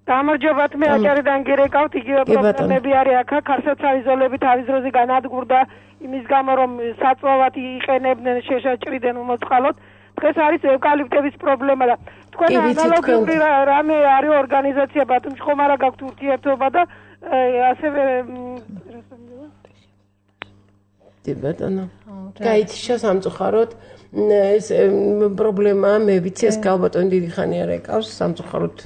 გამარჯობათ, მე აჭარიდან გირეკავთ, იგივე პრობლემები არის აქ, ქარსაცავი ზოლები თავის დროზე განადგურდა იმის გამო, რომ საწვავად იყენებდნენ, შეშაჭრიდან უმოწყალოდ. დღეს არის ევკალიპტების პრობლემა და თქვენ ანალოგიური რამე არის ორგანიზაცია ბათუმში, ხომ არა გაქვთ ურთიერთობა და ასევე ბატონო. გაითიშა სამწუხაროდ ეს პრობლემა მე ვიცი ეს ალბათ დიდი ხანი არ ეკავს სამწუხაროდ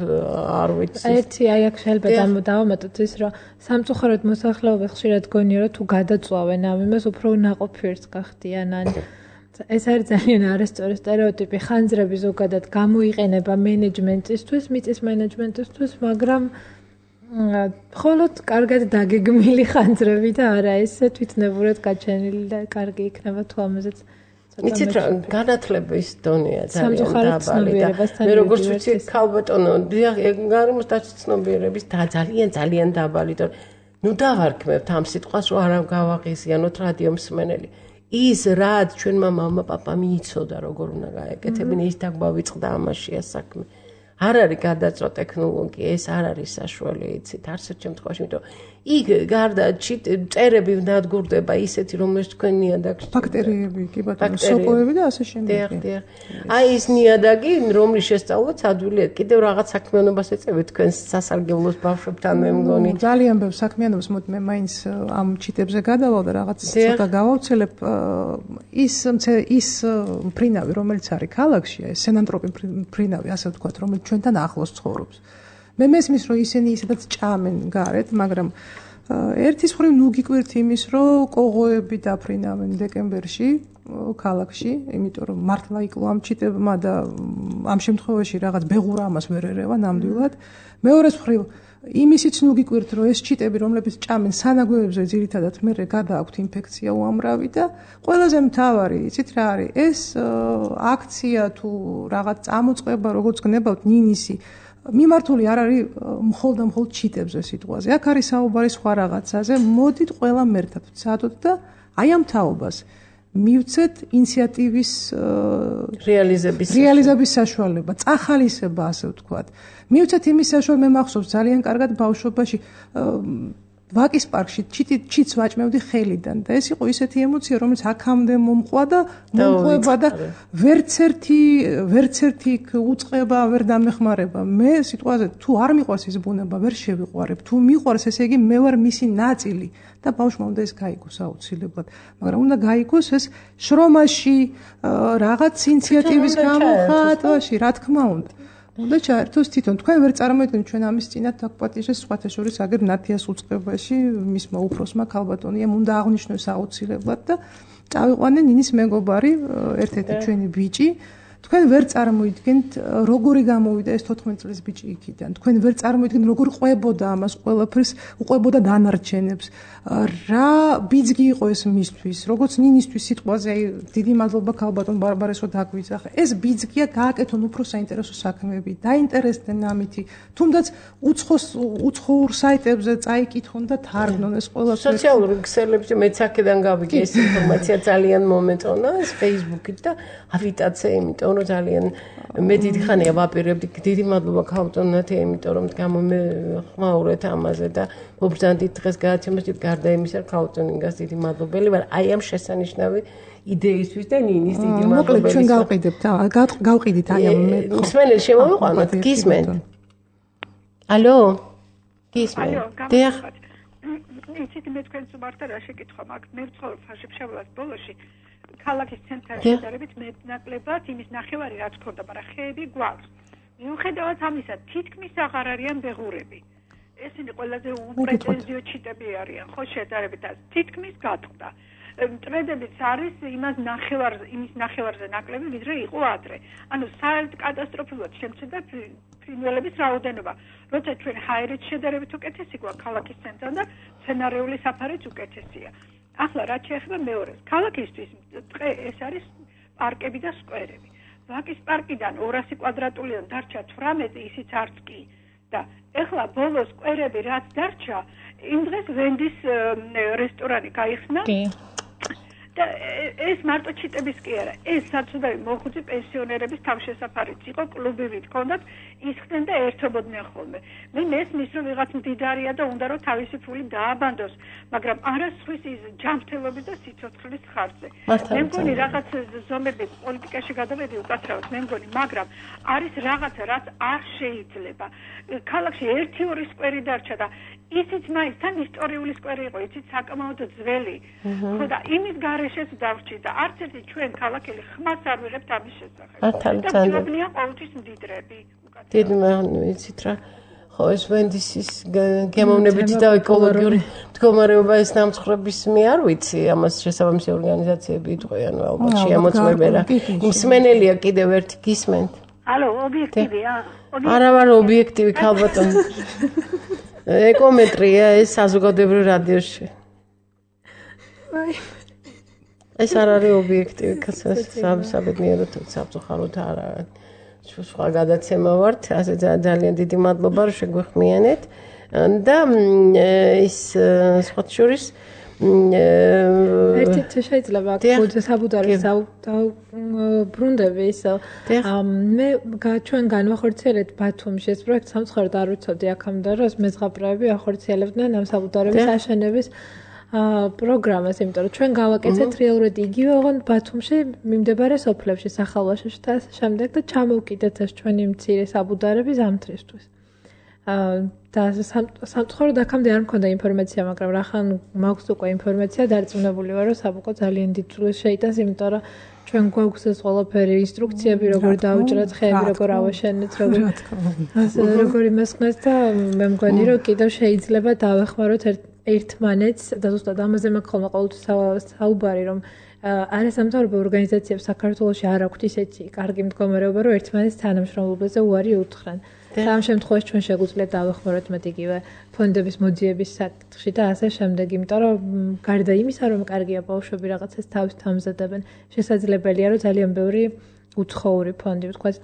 არ ვიცი ერთი აი აქ შეიძლება დავამატოთ ის რომ სამწუხაროდ მოსახლეობა ხშირად გონია რომ თუ გადაწვავენ ამ იმას უფრო ნაყოფიერს გახდიან ან ეს არის ძალიან არასწორი სტერეოტიპი ხანძრები ზოგადად გამოიყენება მენეჯმენტისთვის მიწის მენეჯმენტისთვის მაგრამ მხოლოდ კარგად დაგეგმილი ხანძრები და არა ესე თვითნებურად გაჩენილი და კარგი იქნება თუ ამაზეც იცით რა განათლების დონეა ძალიან დაბალი და მე როგორც ვიცი ქალბატონო გარემოს დაცნობიერების ძალიან დაბალი და ნუ დავარქმევთ ამ სიტყვას რომ არ გავაღიზიანოთ რადიო მსმენელი ის რაც ჩვენმა მამა პაპამ იცოდა როგორ უნდა გაეკეთებინა ის დაგვავიწყდა ამაშია საქმე არ არის გადაწვა ტექნოლოგია ეს არ არის საშუალო იცით არცერთ შემთხვევაში იმიტომ იქ გარდა წერები ნადგურდება ისეთი რომელიც თქვენ ნიადაგში ბაქტერიები კი ბატონო სოკოები და ასე შემდეგ დიახ აი ის ნიადაგი რომლის შესწავლაც ადვილია კიდევ რაღაც საქმიანობას ეწევით თქვენ სასარგებლოს ბავშვებთან მე მგონი ძალიან ბევრ საქმიანობას მოდი მე მაინც ამ ჩიტებზე გადავალ და რაღაც ცოტა გავავრცელებ ის ფრინავი რომელიც არის ქალაქში ეს სენანტროპი ფრინავი ასე ვთქვათ რომელიც ჩვენთან ახლოს ცხოვრობს მე მესმის რომ ისინი ისედაც ჭამენ გარეთ მაგრამ ერთის მხრივ ნუ გიკვირთ იმის რომ კოღოები დაფრინავენ დეკემბერში ქალაქში იმიტომ რომ მართლა იკლო ამ ჩიტებმა და ამ შემთხვევაში რაღაც ბეღურა ამას ვერ ერევა ნამდვილად მეორეს მხრივ იმისიც ნუ გიკვირთ რომ ეს ჩიტები რომლებიც ჭამენ სანაგვევებზე ძირითადად მე გადააქვთ ინფექცია უამრავი და ყველაზე მთავარი იცით რა არის ეს აქცია თუ რაღაც წამოწყება როგორც გნებავთ ნინისი მიმართული არ არის მხოლოდ ჩიტებზე სიტყვაზე. აქ არის საუბარი სხვა რაღაცაზე. მოდით ყველამ ერთად ვცადოთ და აი ამ თაობას მივცეთ ინიციატივის რეალიზების საშუალება, წახალისება ასე ვთქვათ. მივცეთ იმის საშუალება, მე მახსოვს ძალიან კარგად ბავშვობაში ვაკის პარკში ჩიტს ვაჭმევდი ხელიდან და ეს იყო ისეთი ემოცია რომელიც აქამდე მომყვა და მომყვება და ვერც ერთი უწყება ვერ დამეხმარება მე სიტყვაზე თუ არ მიყვარს ის ბუნება ვერ შევიყვარებ თუ მიყვარს ესე იგი მე ვარ მისი ნაწილი და ბავშვმა უნდა ეს გაიგოს აუცილებლად მაგრამ უნდა გაიგოს ეს შრომაში რაღაც ინიციატივის გამოხატვაში რა თქმა უნდა უნდა ჩაერთოს თვითონ თქვენ ვერ წარმოიდგენთ ჩვენ ამის წინათ დაგპატიჟეს სხვათა შორის აგერ ნათიას უწყებაში მისმა უფროსმა ქალბატონიამ უნდა აღნიშნოს აუცილებლად და წავიყვანენ ნინის მეგობარი ერთ-ერთი ჩვენი ბიჭი თქვენ ვერ წარმოიდგენთ როგორი გამოვიდა ეს 14 წლის ბიჭი იქიდან თქვენ ვერ წარმოიდგენთ როგორ ყვებოდა ამას ყველაფერს უყვებოდა დანარჩენებს რა ბიძგი იყო ეს მისთვის როგორც ნინისთვის სიტყვაზე აი დიდი მადლობა ქალბატონ ბარბარესო დაგვიძახა ეს ბიძგია გააკეთონ უფრო საინტერესო საქმეები დაინტერესდნენ ამითი თუნდაც უცხოურ საიტებზე წაიკითხონ და თარგმნონ ეს ყველაფერი სოციალურ ქსელებში მეც აქედან გავიგე ეს ინფორმაცია ძალიან მომეწონა ეს Facebook-ით და ავიტაცე იმიტომ რომ ძალიან მე დიდი ხანია ვაპირებდი დიდი მადლობა ქალბატონათ იმიტომ რომ გამომეხმაურეთ ამაზე და მობრძანდით დღეს გადაცემაში გარდა იმისა ქალბატონინგას დიდი მადლობელი ვარ აი ამ შესანიშნავი იდეისთვის და ნინის დიდი მადლობელი მოკლედ ჩვენ გავყიდებთ გავყიდით აი ამ მსმენელი შემოვიყვანოთ გისმენთ ალო გისმენთ დიახ იცით მე თქვენს მართლა რა შეკითხვა მაქვს მე ვცხოვრობ ფაშიფშავლას ბოლოში ქალაქის ცენტრში შედარებით მეტნაკლებად იმის ნახევარი რაც ქონდა, მაგრამ ხეები გვაქვს. მიუხედავად ამისა, თითქმის აღარ არიან ბეღურები. ესენი ყველაზე უპრეტენზიო ჩიტები არიან, ხო შედარებით და თითქმის გატყდა. მტრედებიც არის იმის ნახევარზე ნაკლები, ვიდრე იყო ადრე. ანუ საერთოდ კატასტროფულად შემცირდა ფრინველების რაოდენობა. როცა ჩვენ ჰაერით შედარებით უკეთესი გვაქვს ქალაქის ცენტრთან და სცენარიული საფარიც უკეთესია. ახლა რაც შეეხება მეორეს, ქალაქისთვის დღე ეს არის პარკები და სკვერები. ვაკის პარკიდან 200 კვადრატულიდან დარჩა 18, ისიც არც კი. და ეხლა ბოლო სკვერები რაც დარჩა, იმ დღეს ვენდის რესტორანი გაიხსნა. და ეს მარტო ჩიტების კი არა, ეს საცუდავი მოხუცი პენსიონერების თავშესაფარიც იყო, კლუბები ჰქონდათ, ისხდნენ და ერთობოდნენ ხოლმე. მე მესმის რომ ვიღაც მდიდარია და უნდა რომ თავისი ფული დააბანდოს, მაგრამ არა სხვის ის ჯანმრთელობის და სიცოცხლის ხარჯზე. მე მგონი რაღაც ზომები პოლიტიკაში გადავედი უკაცრავად, მე მგონი, მაგრამ არის რაღაცა, რაც არ შეიძლება. ქალაქში 1-2 სკვერი დარჩა და ისიც მაინც თან ისტორიული სკვერი იყო, ისიც საკმაოდ ძველი. ხო და იმის გარეშეც დავრჩი და არც ერთი ჩვენ ქალაქელი ხმას არ ვიღებთ ამის შესახებ. და ძვლებია ყოველთვის მდიდრები. დიდი ვიცით რა. ხო ეს ვენდისის გემოვნებითი და ეკოლოგიური მდგომარეობა ეს დამცხრების მე არ ვიცი, ამას შესაბამისი ორგანიზაციები იტყვიან ალბათ შეამოწმებენ რა. მსმენელია კიდევ ერთი გისმენთ. ალო, ობიექტივია? არა ვარ ობიექტივი ქალბატონი. ეკომეტრია ეს საზოგადოებრივ რადიოში. ეს არ არის ობიექტივი, საბედნიეროდ სამწუხაროდ არ არის. სხვა გადაცემა ვართ, ასე ძალიან დიდი მადლობა რომ შეგვეხმიანეთ და ის სხვა შორის ერთით შეიძლება საბუდარის ბრუნდები ისო მე ჩვენ განვახორციელეთ ბათუმში ეს პროექტი სამწუხაროდ არ ვიცოდი აქამდე რომ მეზღაბრეები ახორციელებდნენ ამ საბუდარების აშენების პროგრამას, იმიტომ რომ ჩვენ გავაკეთეთ რეალურად იგივე ოღონდ ბათუმში მიმდებარე სოფლებში, სახალვაშოში და შემდეგ და ჩამოვკიდეთ ეს ჩვენი მცირე საბუდარები ზამთრისთვის. და სამწუხაროდ აქამდე არ მქონდა ინფორმაცია, მაგრამ რახან მაქვს უკვე ინფორმაცია, დარწმუნებული ვარ, რომ საბუko ძალიან დიდ წვლილს შეიტანს, იმიტომ რომ ჩვენ გვაქვს ეს ყველაფერი ინსტრუქციები, როგორ დაუჭრათ ხეები, როგორ ავაშენეთ, როგორ იმასხნათ და მე მგონი, რომ კიდევ შეიძლება დავეხმაროთ ერთმანეთს და ზუსტად ამაზე მაქვს ხოლმე ყოველთვის საუბარი, რომ არასამთავრობო ორგანიზაციებს საქართველოში არ აქვთ ისეთი კარგი მდგომარეობა, რომ ერთმანეთს თანამშრომლობაზე უარი უთხრან. და ამ შემთხვევაში ჩვენ შეგვიძლია დავეხმაროთ მათ იგივე ფონდების მოძიების საკითხში და ასე შემდეგ, იმიტომ რომ გარდა იმისა, რომ კარგია ბავშვები რაღაცას თავის ამზადებენ, შესაძლებელია რომ ძალიან ბევრი უცხოური ფონდი ვთქვათ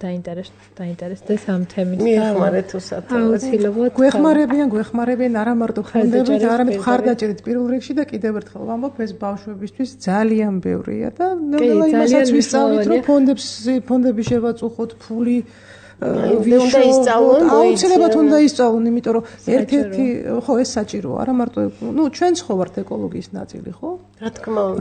დაინტერესდეს ამ თემით და მიეხმარეთ უსათოდ. აუცილებლად გვეხმარებიან არა მარტო ფონდებით, არამედ მხარდაჭერით პირველ რიგში და კიდევ ერთხელ ვამბობ, ეს ბავშვებისთვის ძალიან ბევრია და ნელა იმასაც ვისწავლით, რომ ფონდები შევაწუხოთ, ფული უნდა ისწავლონ, აუცილებლად უნდა ისწავლონ, იმიტომ რომ ერთ-ერთი ხო ეს საჭიროა, არა მარტო ჩვენც ხო ვართ ეკოლოგიის ნაწილი, ხო?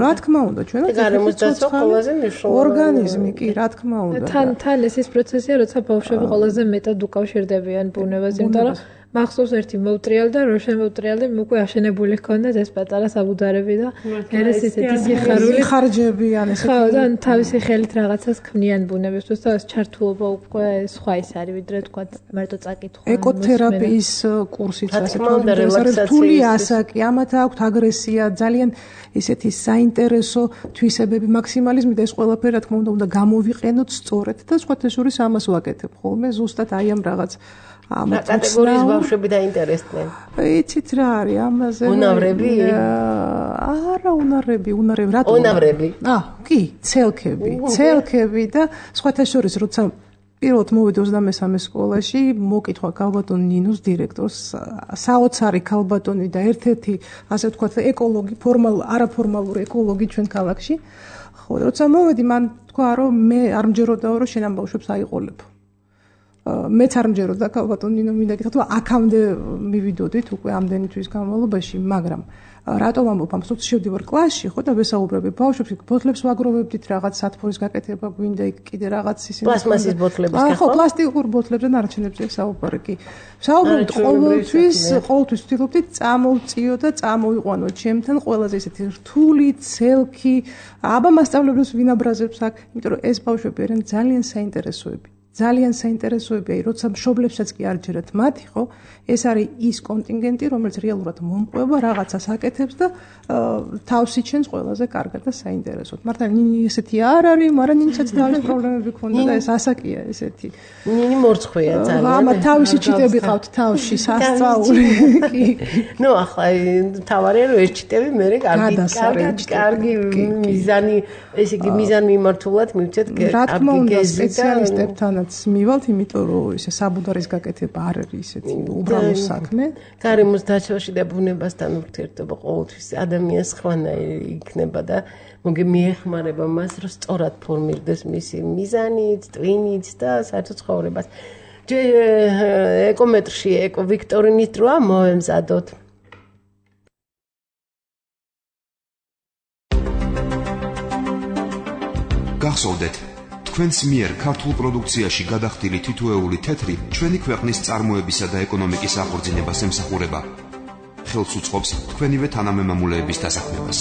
რა თქმა უნდა, ჩვენაც გარემოს დაცვა ყველაზე მნიშვნელოვანი ორგანიზმი კი, რა თქმა უნდა. თან ეს პროცესია, როცა ბავშვები ყველაზე მეტად უკავშირდებიან ბუნებას, იმიტომ რომ მახსოვს ერთი მოვტრიალ და რო შემოვტრიალდი, უკვე აშენებული ჰქონდათ ეს პატარა საბუდარები და ერეს ესეთი სიხარული ხარჯები ან ესეთი. ხო, და თავისი ხელით რაღაცას ქმნიან ბუნებისთვის და ეს ჩართულობა უკვე სხვა ის არის, ვიდრე თქვა მარტო წაკითხვა. ეკოთერაპიის კურსიც ასე თქვა, რთული ასაკი, ამათ აქვთ აგრესია, ძალიან ესეთი საინტერესო თვისებები, მაქსიმალიზმი და ეს ყველაფერი რა თქმა უნდა გამოვიყენოთ სწორედ და სხვათა შორის ამას ვაკეთებ ხოლმე ზუსტად აი ამ რაღაც კატეგორიის ბავშვები დაინტერესდნენ. იცით რა არის ამაზე? უნავრები? არა, უნარები, რატო? უნავრები. კი, ცელქები და სხვათა შორის როცა პირველად მოვედი 23 სკოლაში, მოკითხა ქალბატონ ნინოს დირექტორს, საოცარი ქალბატონი და ერთ-ერთი, ასე ვთქვათ, ეკოლოგი, არაფორმალური ეკოლოგი ჩვენ ქალაქში. ხო, როცა მოვედი, მან თქვა, რომ მე არ მჯეროდაო, რომ შენ ამ ბავშვებს აიყოლებო. მეც არ მჯეროდა ბატონო ნინო მინდა გითხრათ რომ აქამდე მივიდოდით უკვე ამდენი თვის განმავლობაში მაგრამ რატომ ამბობ ამ სულ შევდივარ კლასში ხო და ვესაუბრები ბავშვებს ბოთლებს ვაგროვებდით რაღაც სათბურის გაკეთება გვინდა კიდე რაღაც ისინი პლასმასის ბოთლების ხო პლასტიკურ ბოთლებზე ნარჩენებზე საუბარი კი საუბრობთ ყოველთვის ვთქვით წამოვწიო და წამოვიყვანო ჩემთან ყველაზე ისეთი რთული ცელქი აბა მასწავლებლებს ვინაბრაზებს აქ იმიტომ რომ ეს ბავშვები არიან ძალიან საინტერესოებია, როცა მშობლებსაც კი არ ჯერათ მათი, ხო? ეს არის ის კონტინგენტი, რომელიც რეალურად მომყვება, რაღაცას აკეთებს და თავს იჩენს ყველაზე კარგად და საინტერესოდ. მართლა ნინი ესეთი არ არის, მაგრამ ნინიცაც თავის პრობლემები ქონდა და ეს ასაკია ესეთი. ნინი მორცხვია ძალიან. ამა თავისი ჩიტები ყავთ თავში, სასწაული. კი. ნუ ახლა თავარია რომ ეს ჩიტები მე კარგი მიზანი, ესე იგი მიზან მიმართულად მივცეთ კარგი გეზი და სპეციალისტებთანაც მივალთ, იმიტომ რომ ესე საბუდარის გაკეთება არ არის ისეთი უბრალო საქმე. გარემოს დაცვაში და ბუნებასთან ურთიერთობა ყოველთვის ადამიანს ხვანაირი იქნება და მოგე მიეხმარება მას, რომ სწორად ფორმირდეს მისი მიზანიც, ტვინიც და საერთოდ ცხოვრებას. ეკომეტრში ეკოვიქტორინის დროა მოემზადოთ. გახსოვდეთ, თქვენს მიერ ქართულ პროდუქციაში გადახდილი თითოეული თეთრი ჩვენი ქვეყნის წარმოებისა და ეკონომიკის აღორძინებას ემსახურება. ხელს უწყობს თქვენივე თანამემამულეების დასაქმებას.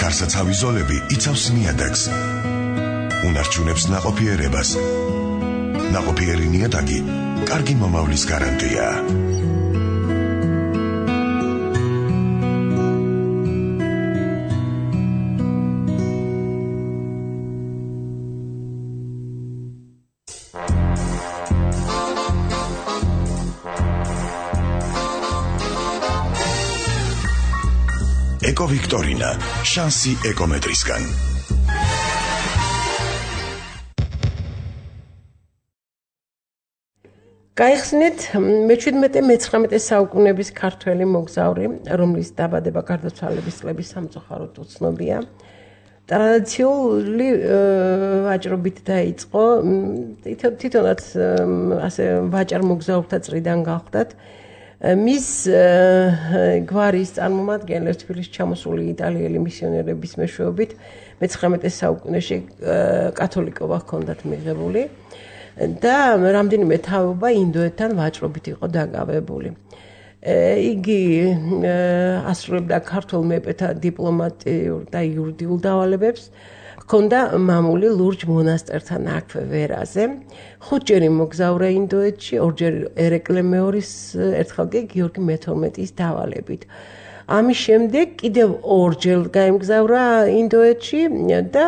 გარსაცავი ზოლები იცავს ნიადაგს. უნარჩუნებს ნაყოფიერებას. ნაყოფიერი ნიადაგი კარგი მომავლის გარანტია. ეკოვიქტორინა, შანსი ეკომეტრისგან. გაიხსნით მე-17-19 საუკუნეების ქართველი მოგზაური, რომლის დაბადება გარდაცვალების წლების სამწუხაროდ უცნობია. ტრადიციული ვაჭრობით დაიწყო, თვითონაც ასე ვაჭარ მოგზაურთა წრიდან გავხდათ. მის გვარის წარმომადგენლებს თბილისში ჩამოსული იტალიელი მისიონერების მეშვეობით მე-19 საუკუნეში კათოლიკობა ჰქონდათ მიღებული და რამდენიმე თაობა ინდოეთთან ვაჭრობით იყო დაკავებული. იგი ასრულებდა ქართულ მეფეთა დიპლომატიურ და იურიდიულ დავალებებს. ჰქონდა მამული ლურჯ მონასტერთან აქვე ვერაზე. 5 ჯერ მოგზაურა ინდოეთში, 2 ჯერ ერეკლე მეორის, ერთხელ კი გიორგი მე-12-ის დავალებით. ამის შემდეგ კიდევ 2 ჯერ გაემგზავრა ინდოეთში და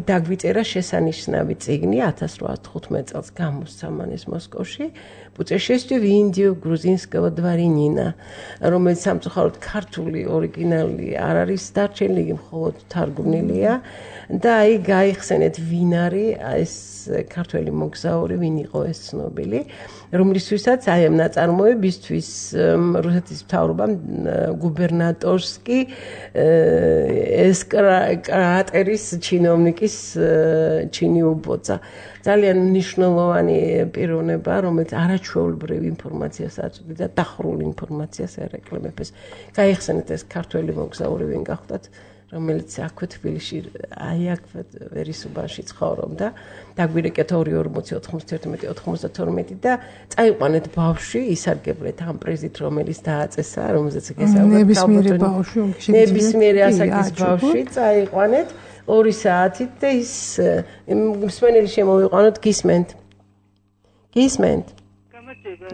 დაგვიწერა შესანიშნავი წიგნი 1815 წელს გამოსცა მან მოსკოვში. Путешествие в Индию грузинского дворянина, რომელიც სამწუხაროდ ქართული ორიგინალი არ არის დარჩენილი, მხოლოდ თარგმნილია და აი გაიხსენეთ ვინ არის ეს ქართველი მოგზაური, ვინ იყო ეს ცნობილი, რომლისთვისაც აი ამ ნაწარმოებისთვის რუსეთის მთავრობამ გუბერნატორსკი ეს კრატერის ჩინოვნიკის ჩინი უბოცა. ძალიან მნიშვნელოვანი პიროვნება, რომელიც არაჩვეულებრივ ინფორმაციას აწვდიდა და დახურულ ინფორმაციას ერეკლე მეფეს. გაიხსენეთ ეს ქართველი მოგზაური ვინ გახდათ, რომელიც აქვე თბილისში, აი აქვე ვერისუბანში ცხოვრობდა. დაგვირეკეთ 240-91-92 და წაიყვანეთ ბავშვი, ისარგებლეთ ამ პრიზით, რომელიც დააწესა, რომელზეც გესაუბრეთ. ნებისმიერი ასაკის ბავშვი წაიყვანეთ 2 საათით და ის მსმენელი შემოვიყვანოთ, გისმენთ.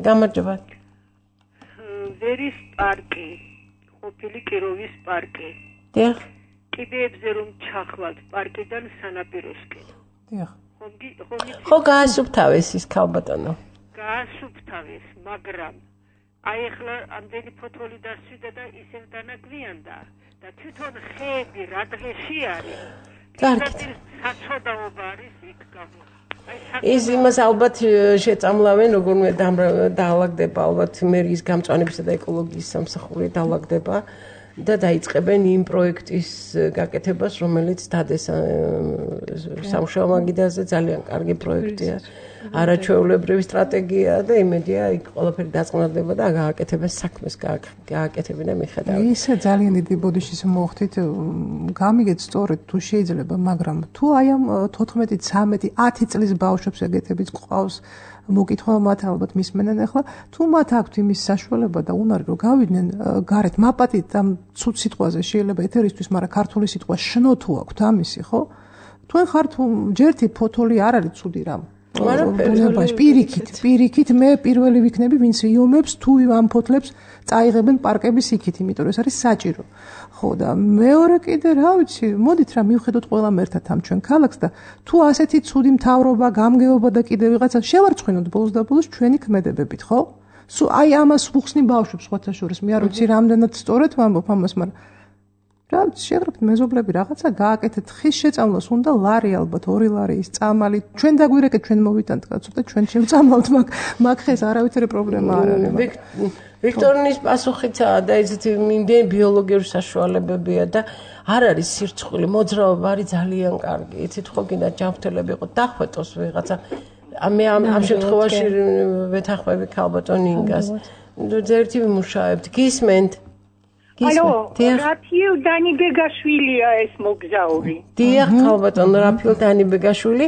გამარჯობა. ვერის პარკი, ყოფილი კიროვის პარკი. დიახ. კიდეებზე რომ ჩახვალთ პარკიდან სანაპიროსკენ. დიახ. ხო გაასუფთავეს ის ქალბატონო. გაასუფთავეს, მაგრამ აი ახლა ამდენი ფოთოლი დასვიდა და ისევ დანაგვიანდა და თვითონ ხეები რა დღეში არის. კარგით. საცოდაობა არის იქ გამო. ის იმას ალბათ შეწამლავენ, როგორმე დაალაგდება ალბათ მერის გამწვანებისა და ეკოლოგიის სამსახური დაალაგდება და დაიწყებენ იმ პროექტის გაკეთებას, რომელიც დადეს სამუშაო მაგიდაზე ძალიან კარგი პროექტია. არაჩვეულებრივი სტრატეგია და იმედია იქ ყველაფერი დაწყნარდება და გააკეთებენ საქმეს, გააკეთებენ და მიხედავენ. ისე ძალიან დიდი ბოდიშის მოხდით, გამიგეთ სწორედ თუ შეიძლება, მაგრამ თუ აი ამ 14, 13, 10 წლის ბავშვებს ეგეთებიც ყავს მოკითხვა მათ ალბათ მისმენენ ახლა თუ მათ აქვთ იმის საშუალება და უნარი რომ გავიდნენ გარეთ მაპატით ამ ცუდ სიტყვაზე შეიძლება ეთერისთვის, მაგრამ ქართული სიტყვა შნო თუ აქვთ ამისი, ხო? თქვენ ხართ ჯერთი ფოთოლი არ არის ცუდი რამ. პირიქით მე პირველი ვიქნები, ვინც იომებს თუ ამ ფოთლებს წაიღებენ პარკების იქით, იმიტომ რომ ეს არის საჭირო. ხო და მეორე კიდე რა ვიცი, მოდით რა მივხედოთ ყველამ ერთად ამ ჩვენ ქალაქს და თუ ასეთი ცუდი მთავრობა, გამგეობა და კიდე ვიღაცა შევარცხინოთ ბოლოს და ბოლოს ჩვენი ქმედებებით, ხო? სულ აი ამას ვუხსნი ბავშვებს ხოთა შორის, მე არ ვიცი რამდენად სწორად ვამბობ ამას, მაგრამ რა შეღრებთ მეზობლები რაღაცა გააკეთეთ ხის შეწამლოს უნდა ლარი ალბათ 2 ლარი ის წამალი ჩვენ დაგვირეკეთ ჩვენ მოვიტანთ კაცო და ჩვენ შევწამლავთ მაგ ხეს არავითარი პრობლემა არ არის ვიქტორინის პასუხიცაა და ისეთი იმდენი ბიოლოგიური საშუალებებია და არ არის სირცხული მოძრაობა არის ძალიან კარგი იცით ხო გინდა ჯანმრთელები იყო დახვეტოს ვიღაცა მე ამ შემთხვევაში ვეთანხმები ქალბატონ ინგას ერთი ვიმუშავებთ გისმენთ Алло, Рафил Данибегашвილია ეს მოგზაური. დიახ, ქალბატონ Рафил Данибეგაშვილი,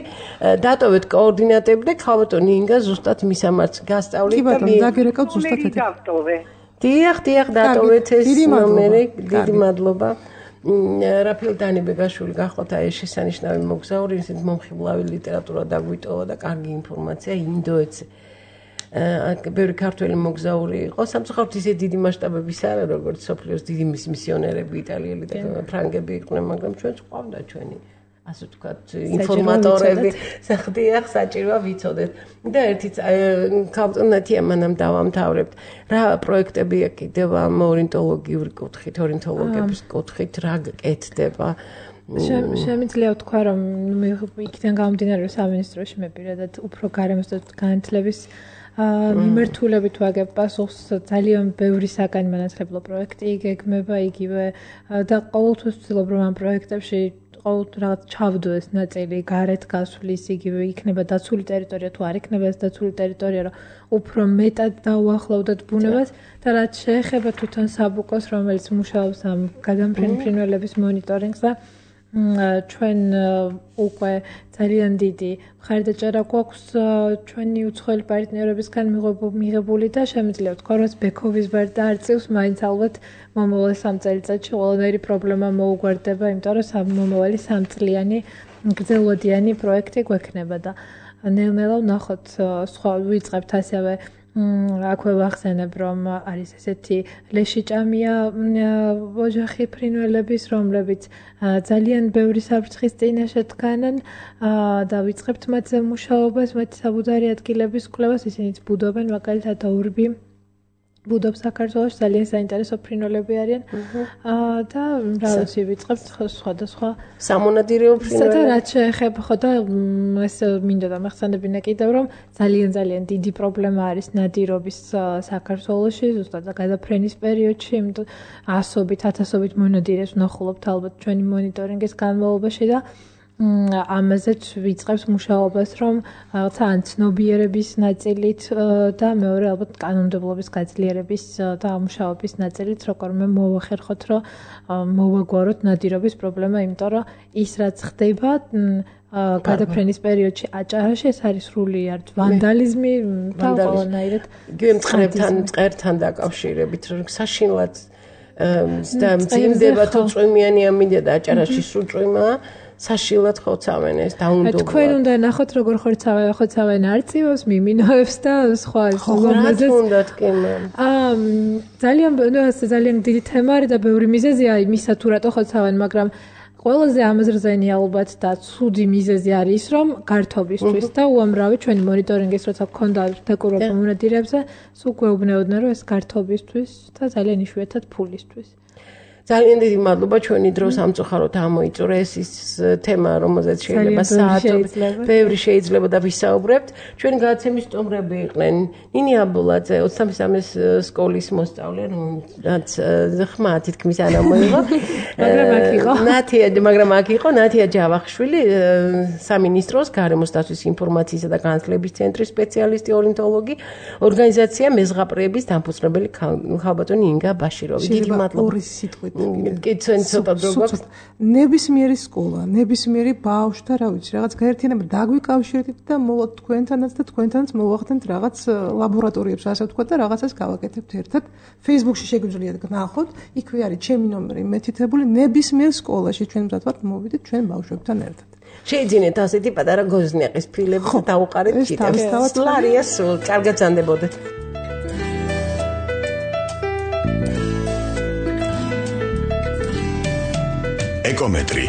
დატოვეთ კოორდინატები და ქალბატონ ინგა ზუსტად მისამართს გასწავლით და მე დაგერეკავთ ზუსტად ეს. დიახ, დატოვეთ ეს ნომერი, დიდი მადლობა. Рафил Данибეგაშვილი გახლავთ აი ეს შესანიშნავი მოგზაური, ისეთ მომხიბლავი ლიტერატურა დაგვიტოვა და კარგი ინფორმაცია ინდოეთზე. ბევრი ქართველი მოგზაური იყო სამწუხაროდ ისე დიდი მასშტაბების არა როგორც სოფლიოს დიდი მისიონერები იტალიელი და ფრანგები იყვნენ მაგრამ ჩვენც ყავდა ჩვენი ასე ვთქვათ ინფორმატორები საერთოდ საჭიროა ვიცოდეთ და ერთი ქალბატონი ამანამ დავამთავრებთ რა პროექტებია კიდევ ამ ორნიტოლოგიური კუთხით ორნიტოლოგების კუთხით რა გკეთდება შემიძლია ვთქვა რომ იქიდან გამომდინარე სამინისტროში მე პირადად უფრო გარემოს და განათლების მიმართულებით ვაგებ პასუხს ძალიან ბევრი საგანმანათლებლო პროექტი იგეგმება იგივე და ყოველთვის ვცდილობ რომ ამ პროექტებში ყოველთვის რაღაც ჩავდო ეს ნაწილი გარეთ გასვლის იგივე იქნება დაცული ტერიტორია თუ არ იქნება ეს დაცული ტერიტორია რომ უფრო მეტად დაუახლოვდეთ ბუნებას და რაც შეეხება თვითონ საბუკოს რომელიც მუშაობს ამ გადამფრინველების მონიტორინგს და ჩვენ უკვე ძალიან დიდი მხარდაჭერა გვაქვს ჩვენი უცხოელი პარტნიორებისგან მიღებული და შემიძლია ვთქვა რომ ბექოვის ბარ და არწივს მაინც ალბათ მომავალ 3 წელიწადში ყველანაირი პრობლემა მოუგვარდება იმიტომ რომ მომავალი 3 წლიანი გრძელვადიანი პროექტი გვექნება და ნელ-ნელა ვნახოთ სხვა ვიწყებთ ასევე აქვე ვახსენებ რომ არის ესეთი ლეშიჭამია ოჯახი ფრინველების რომლებიც ძალიან ბევრი საფრთხის წინაშე დგანან და ვიწყებთ მათზე მუშაობას მათი საბუდარი ადგილების კვლევას ისინიც ბუდობენ მაგალითად ორბი ბუდობს საქართველოში ძალიან საინტერესო ფრინველები არიან და რა ვიცი ვიწყებთ სხვადასხვა სამონადირეო ფრინველები და რაც შეეხება ხო და ეს მინდა დამახსენებინა კიდევ რომ ძალიან დიდი პრობლემა არის ნადირობის საქართველოში ზუსტად გადაფრენის პერიოდში იმიტომ ასობით ათასობით მონადირეს ვნახულობთ ალბათ ჩვენი მონიტორინგის განმავლობაში და ამაზეც ვიწყებს მუშაობას რომ რაღაცა ან ცნობიერების ნაწილით და მეორე ალბათ კანონმდებლობის გაძლიერების და მუშაობის ნაწილით როგორმე მოვახერხოთ რომ მოვაგვაროთ ნადირობის პრობლემა იმიტომ რომ ის რაც ხდება გადაფრენის პერიოდში აჭარაში ეს არის სრული არც ვანდალიზმი და ყველანაირად მწყერთან დაკავშირებით რომ საშინლად და მძიმდება თუ წვიმიანი ამინდა და აჭარაში სულ წვიმაა საშილად ხოცავენ ეს დაუნდობლად. თქვენ უნდა ნახოთ როგორ ხოცავენ არწივებს, მიმინოებს და სხვა ზოგადად უნდათ კი მე. ძალიან დიდი თემა არის და ბევრი მიზეზია იმისა თუ რატო ხოცავენ, მაგრამ ყველაზე ამაზრზენი ალბათ და ცუდი მიზეზი არის ის რომ გართობისთვის და უამრავი ჩვენი მონიტორინგის როცა გქონდა დაკურვა მონადირეებზე, სულ გვეუბნეოდნენ რომ ეს გართობისთვის და ძალიან იშვიათად ფულისთვის. ძალიან დიდი მადლობა ჩვენი დრო სამწუხაროდ ამოიწურა ეს ის თემა რომელზეც შეიძლება საათობით ბევრი შეიძლება და ვისაუბრებთ ჩვენი გადაცემის სტუმრები იყვნენ ნინი აბულაძე 23-ის სკოლის მოსწავლე რომელიც ხმა თითქმის არ ამოიღო მაგრამ აქ იყო ნათია ჯავახიშვილი სამინისტროს გარემოს დაცვის ინფორმაციისა და განათლების ცენტრის სპეციალისტი ორნითოლოგი ორგანიზაცია მეზღაპრეების დამფუძნებელი ხალბატონი ინგა ბაშიროვი დიდი მადლობა ორი სიტყვით კიცენ ცოტა დრო გვაქვს ნებისმიერი სკოლა ნებისმიერი ბავშვი და რა ვიცი რაღაც გაერთიანება დაგვიკავშირეთ და მოვაყოთ თქვენთანაც და თქვენთანაც მოვახდენთ რაღაც ლაბორატორიებს ასე ვთქვათ და რაღაცას გავაკეთებთ ერთად Facebook-ში შეგვიძლიათ გნახოთ იქვე არის ჩემი ნომერი მეთითებული ნებისმიერ სკოლაში ჩვენ მზად მოვიდეთ ჩვენ ბავშვებთან ერთად შეიძინეთ ასეთი პატარა გოზნეყის ფილები და დაუყარეთ ჩიტებს სლარია სულ კარგად ზანდებოდეთ ეკომეტრი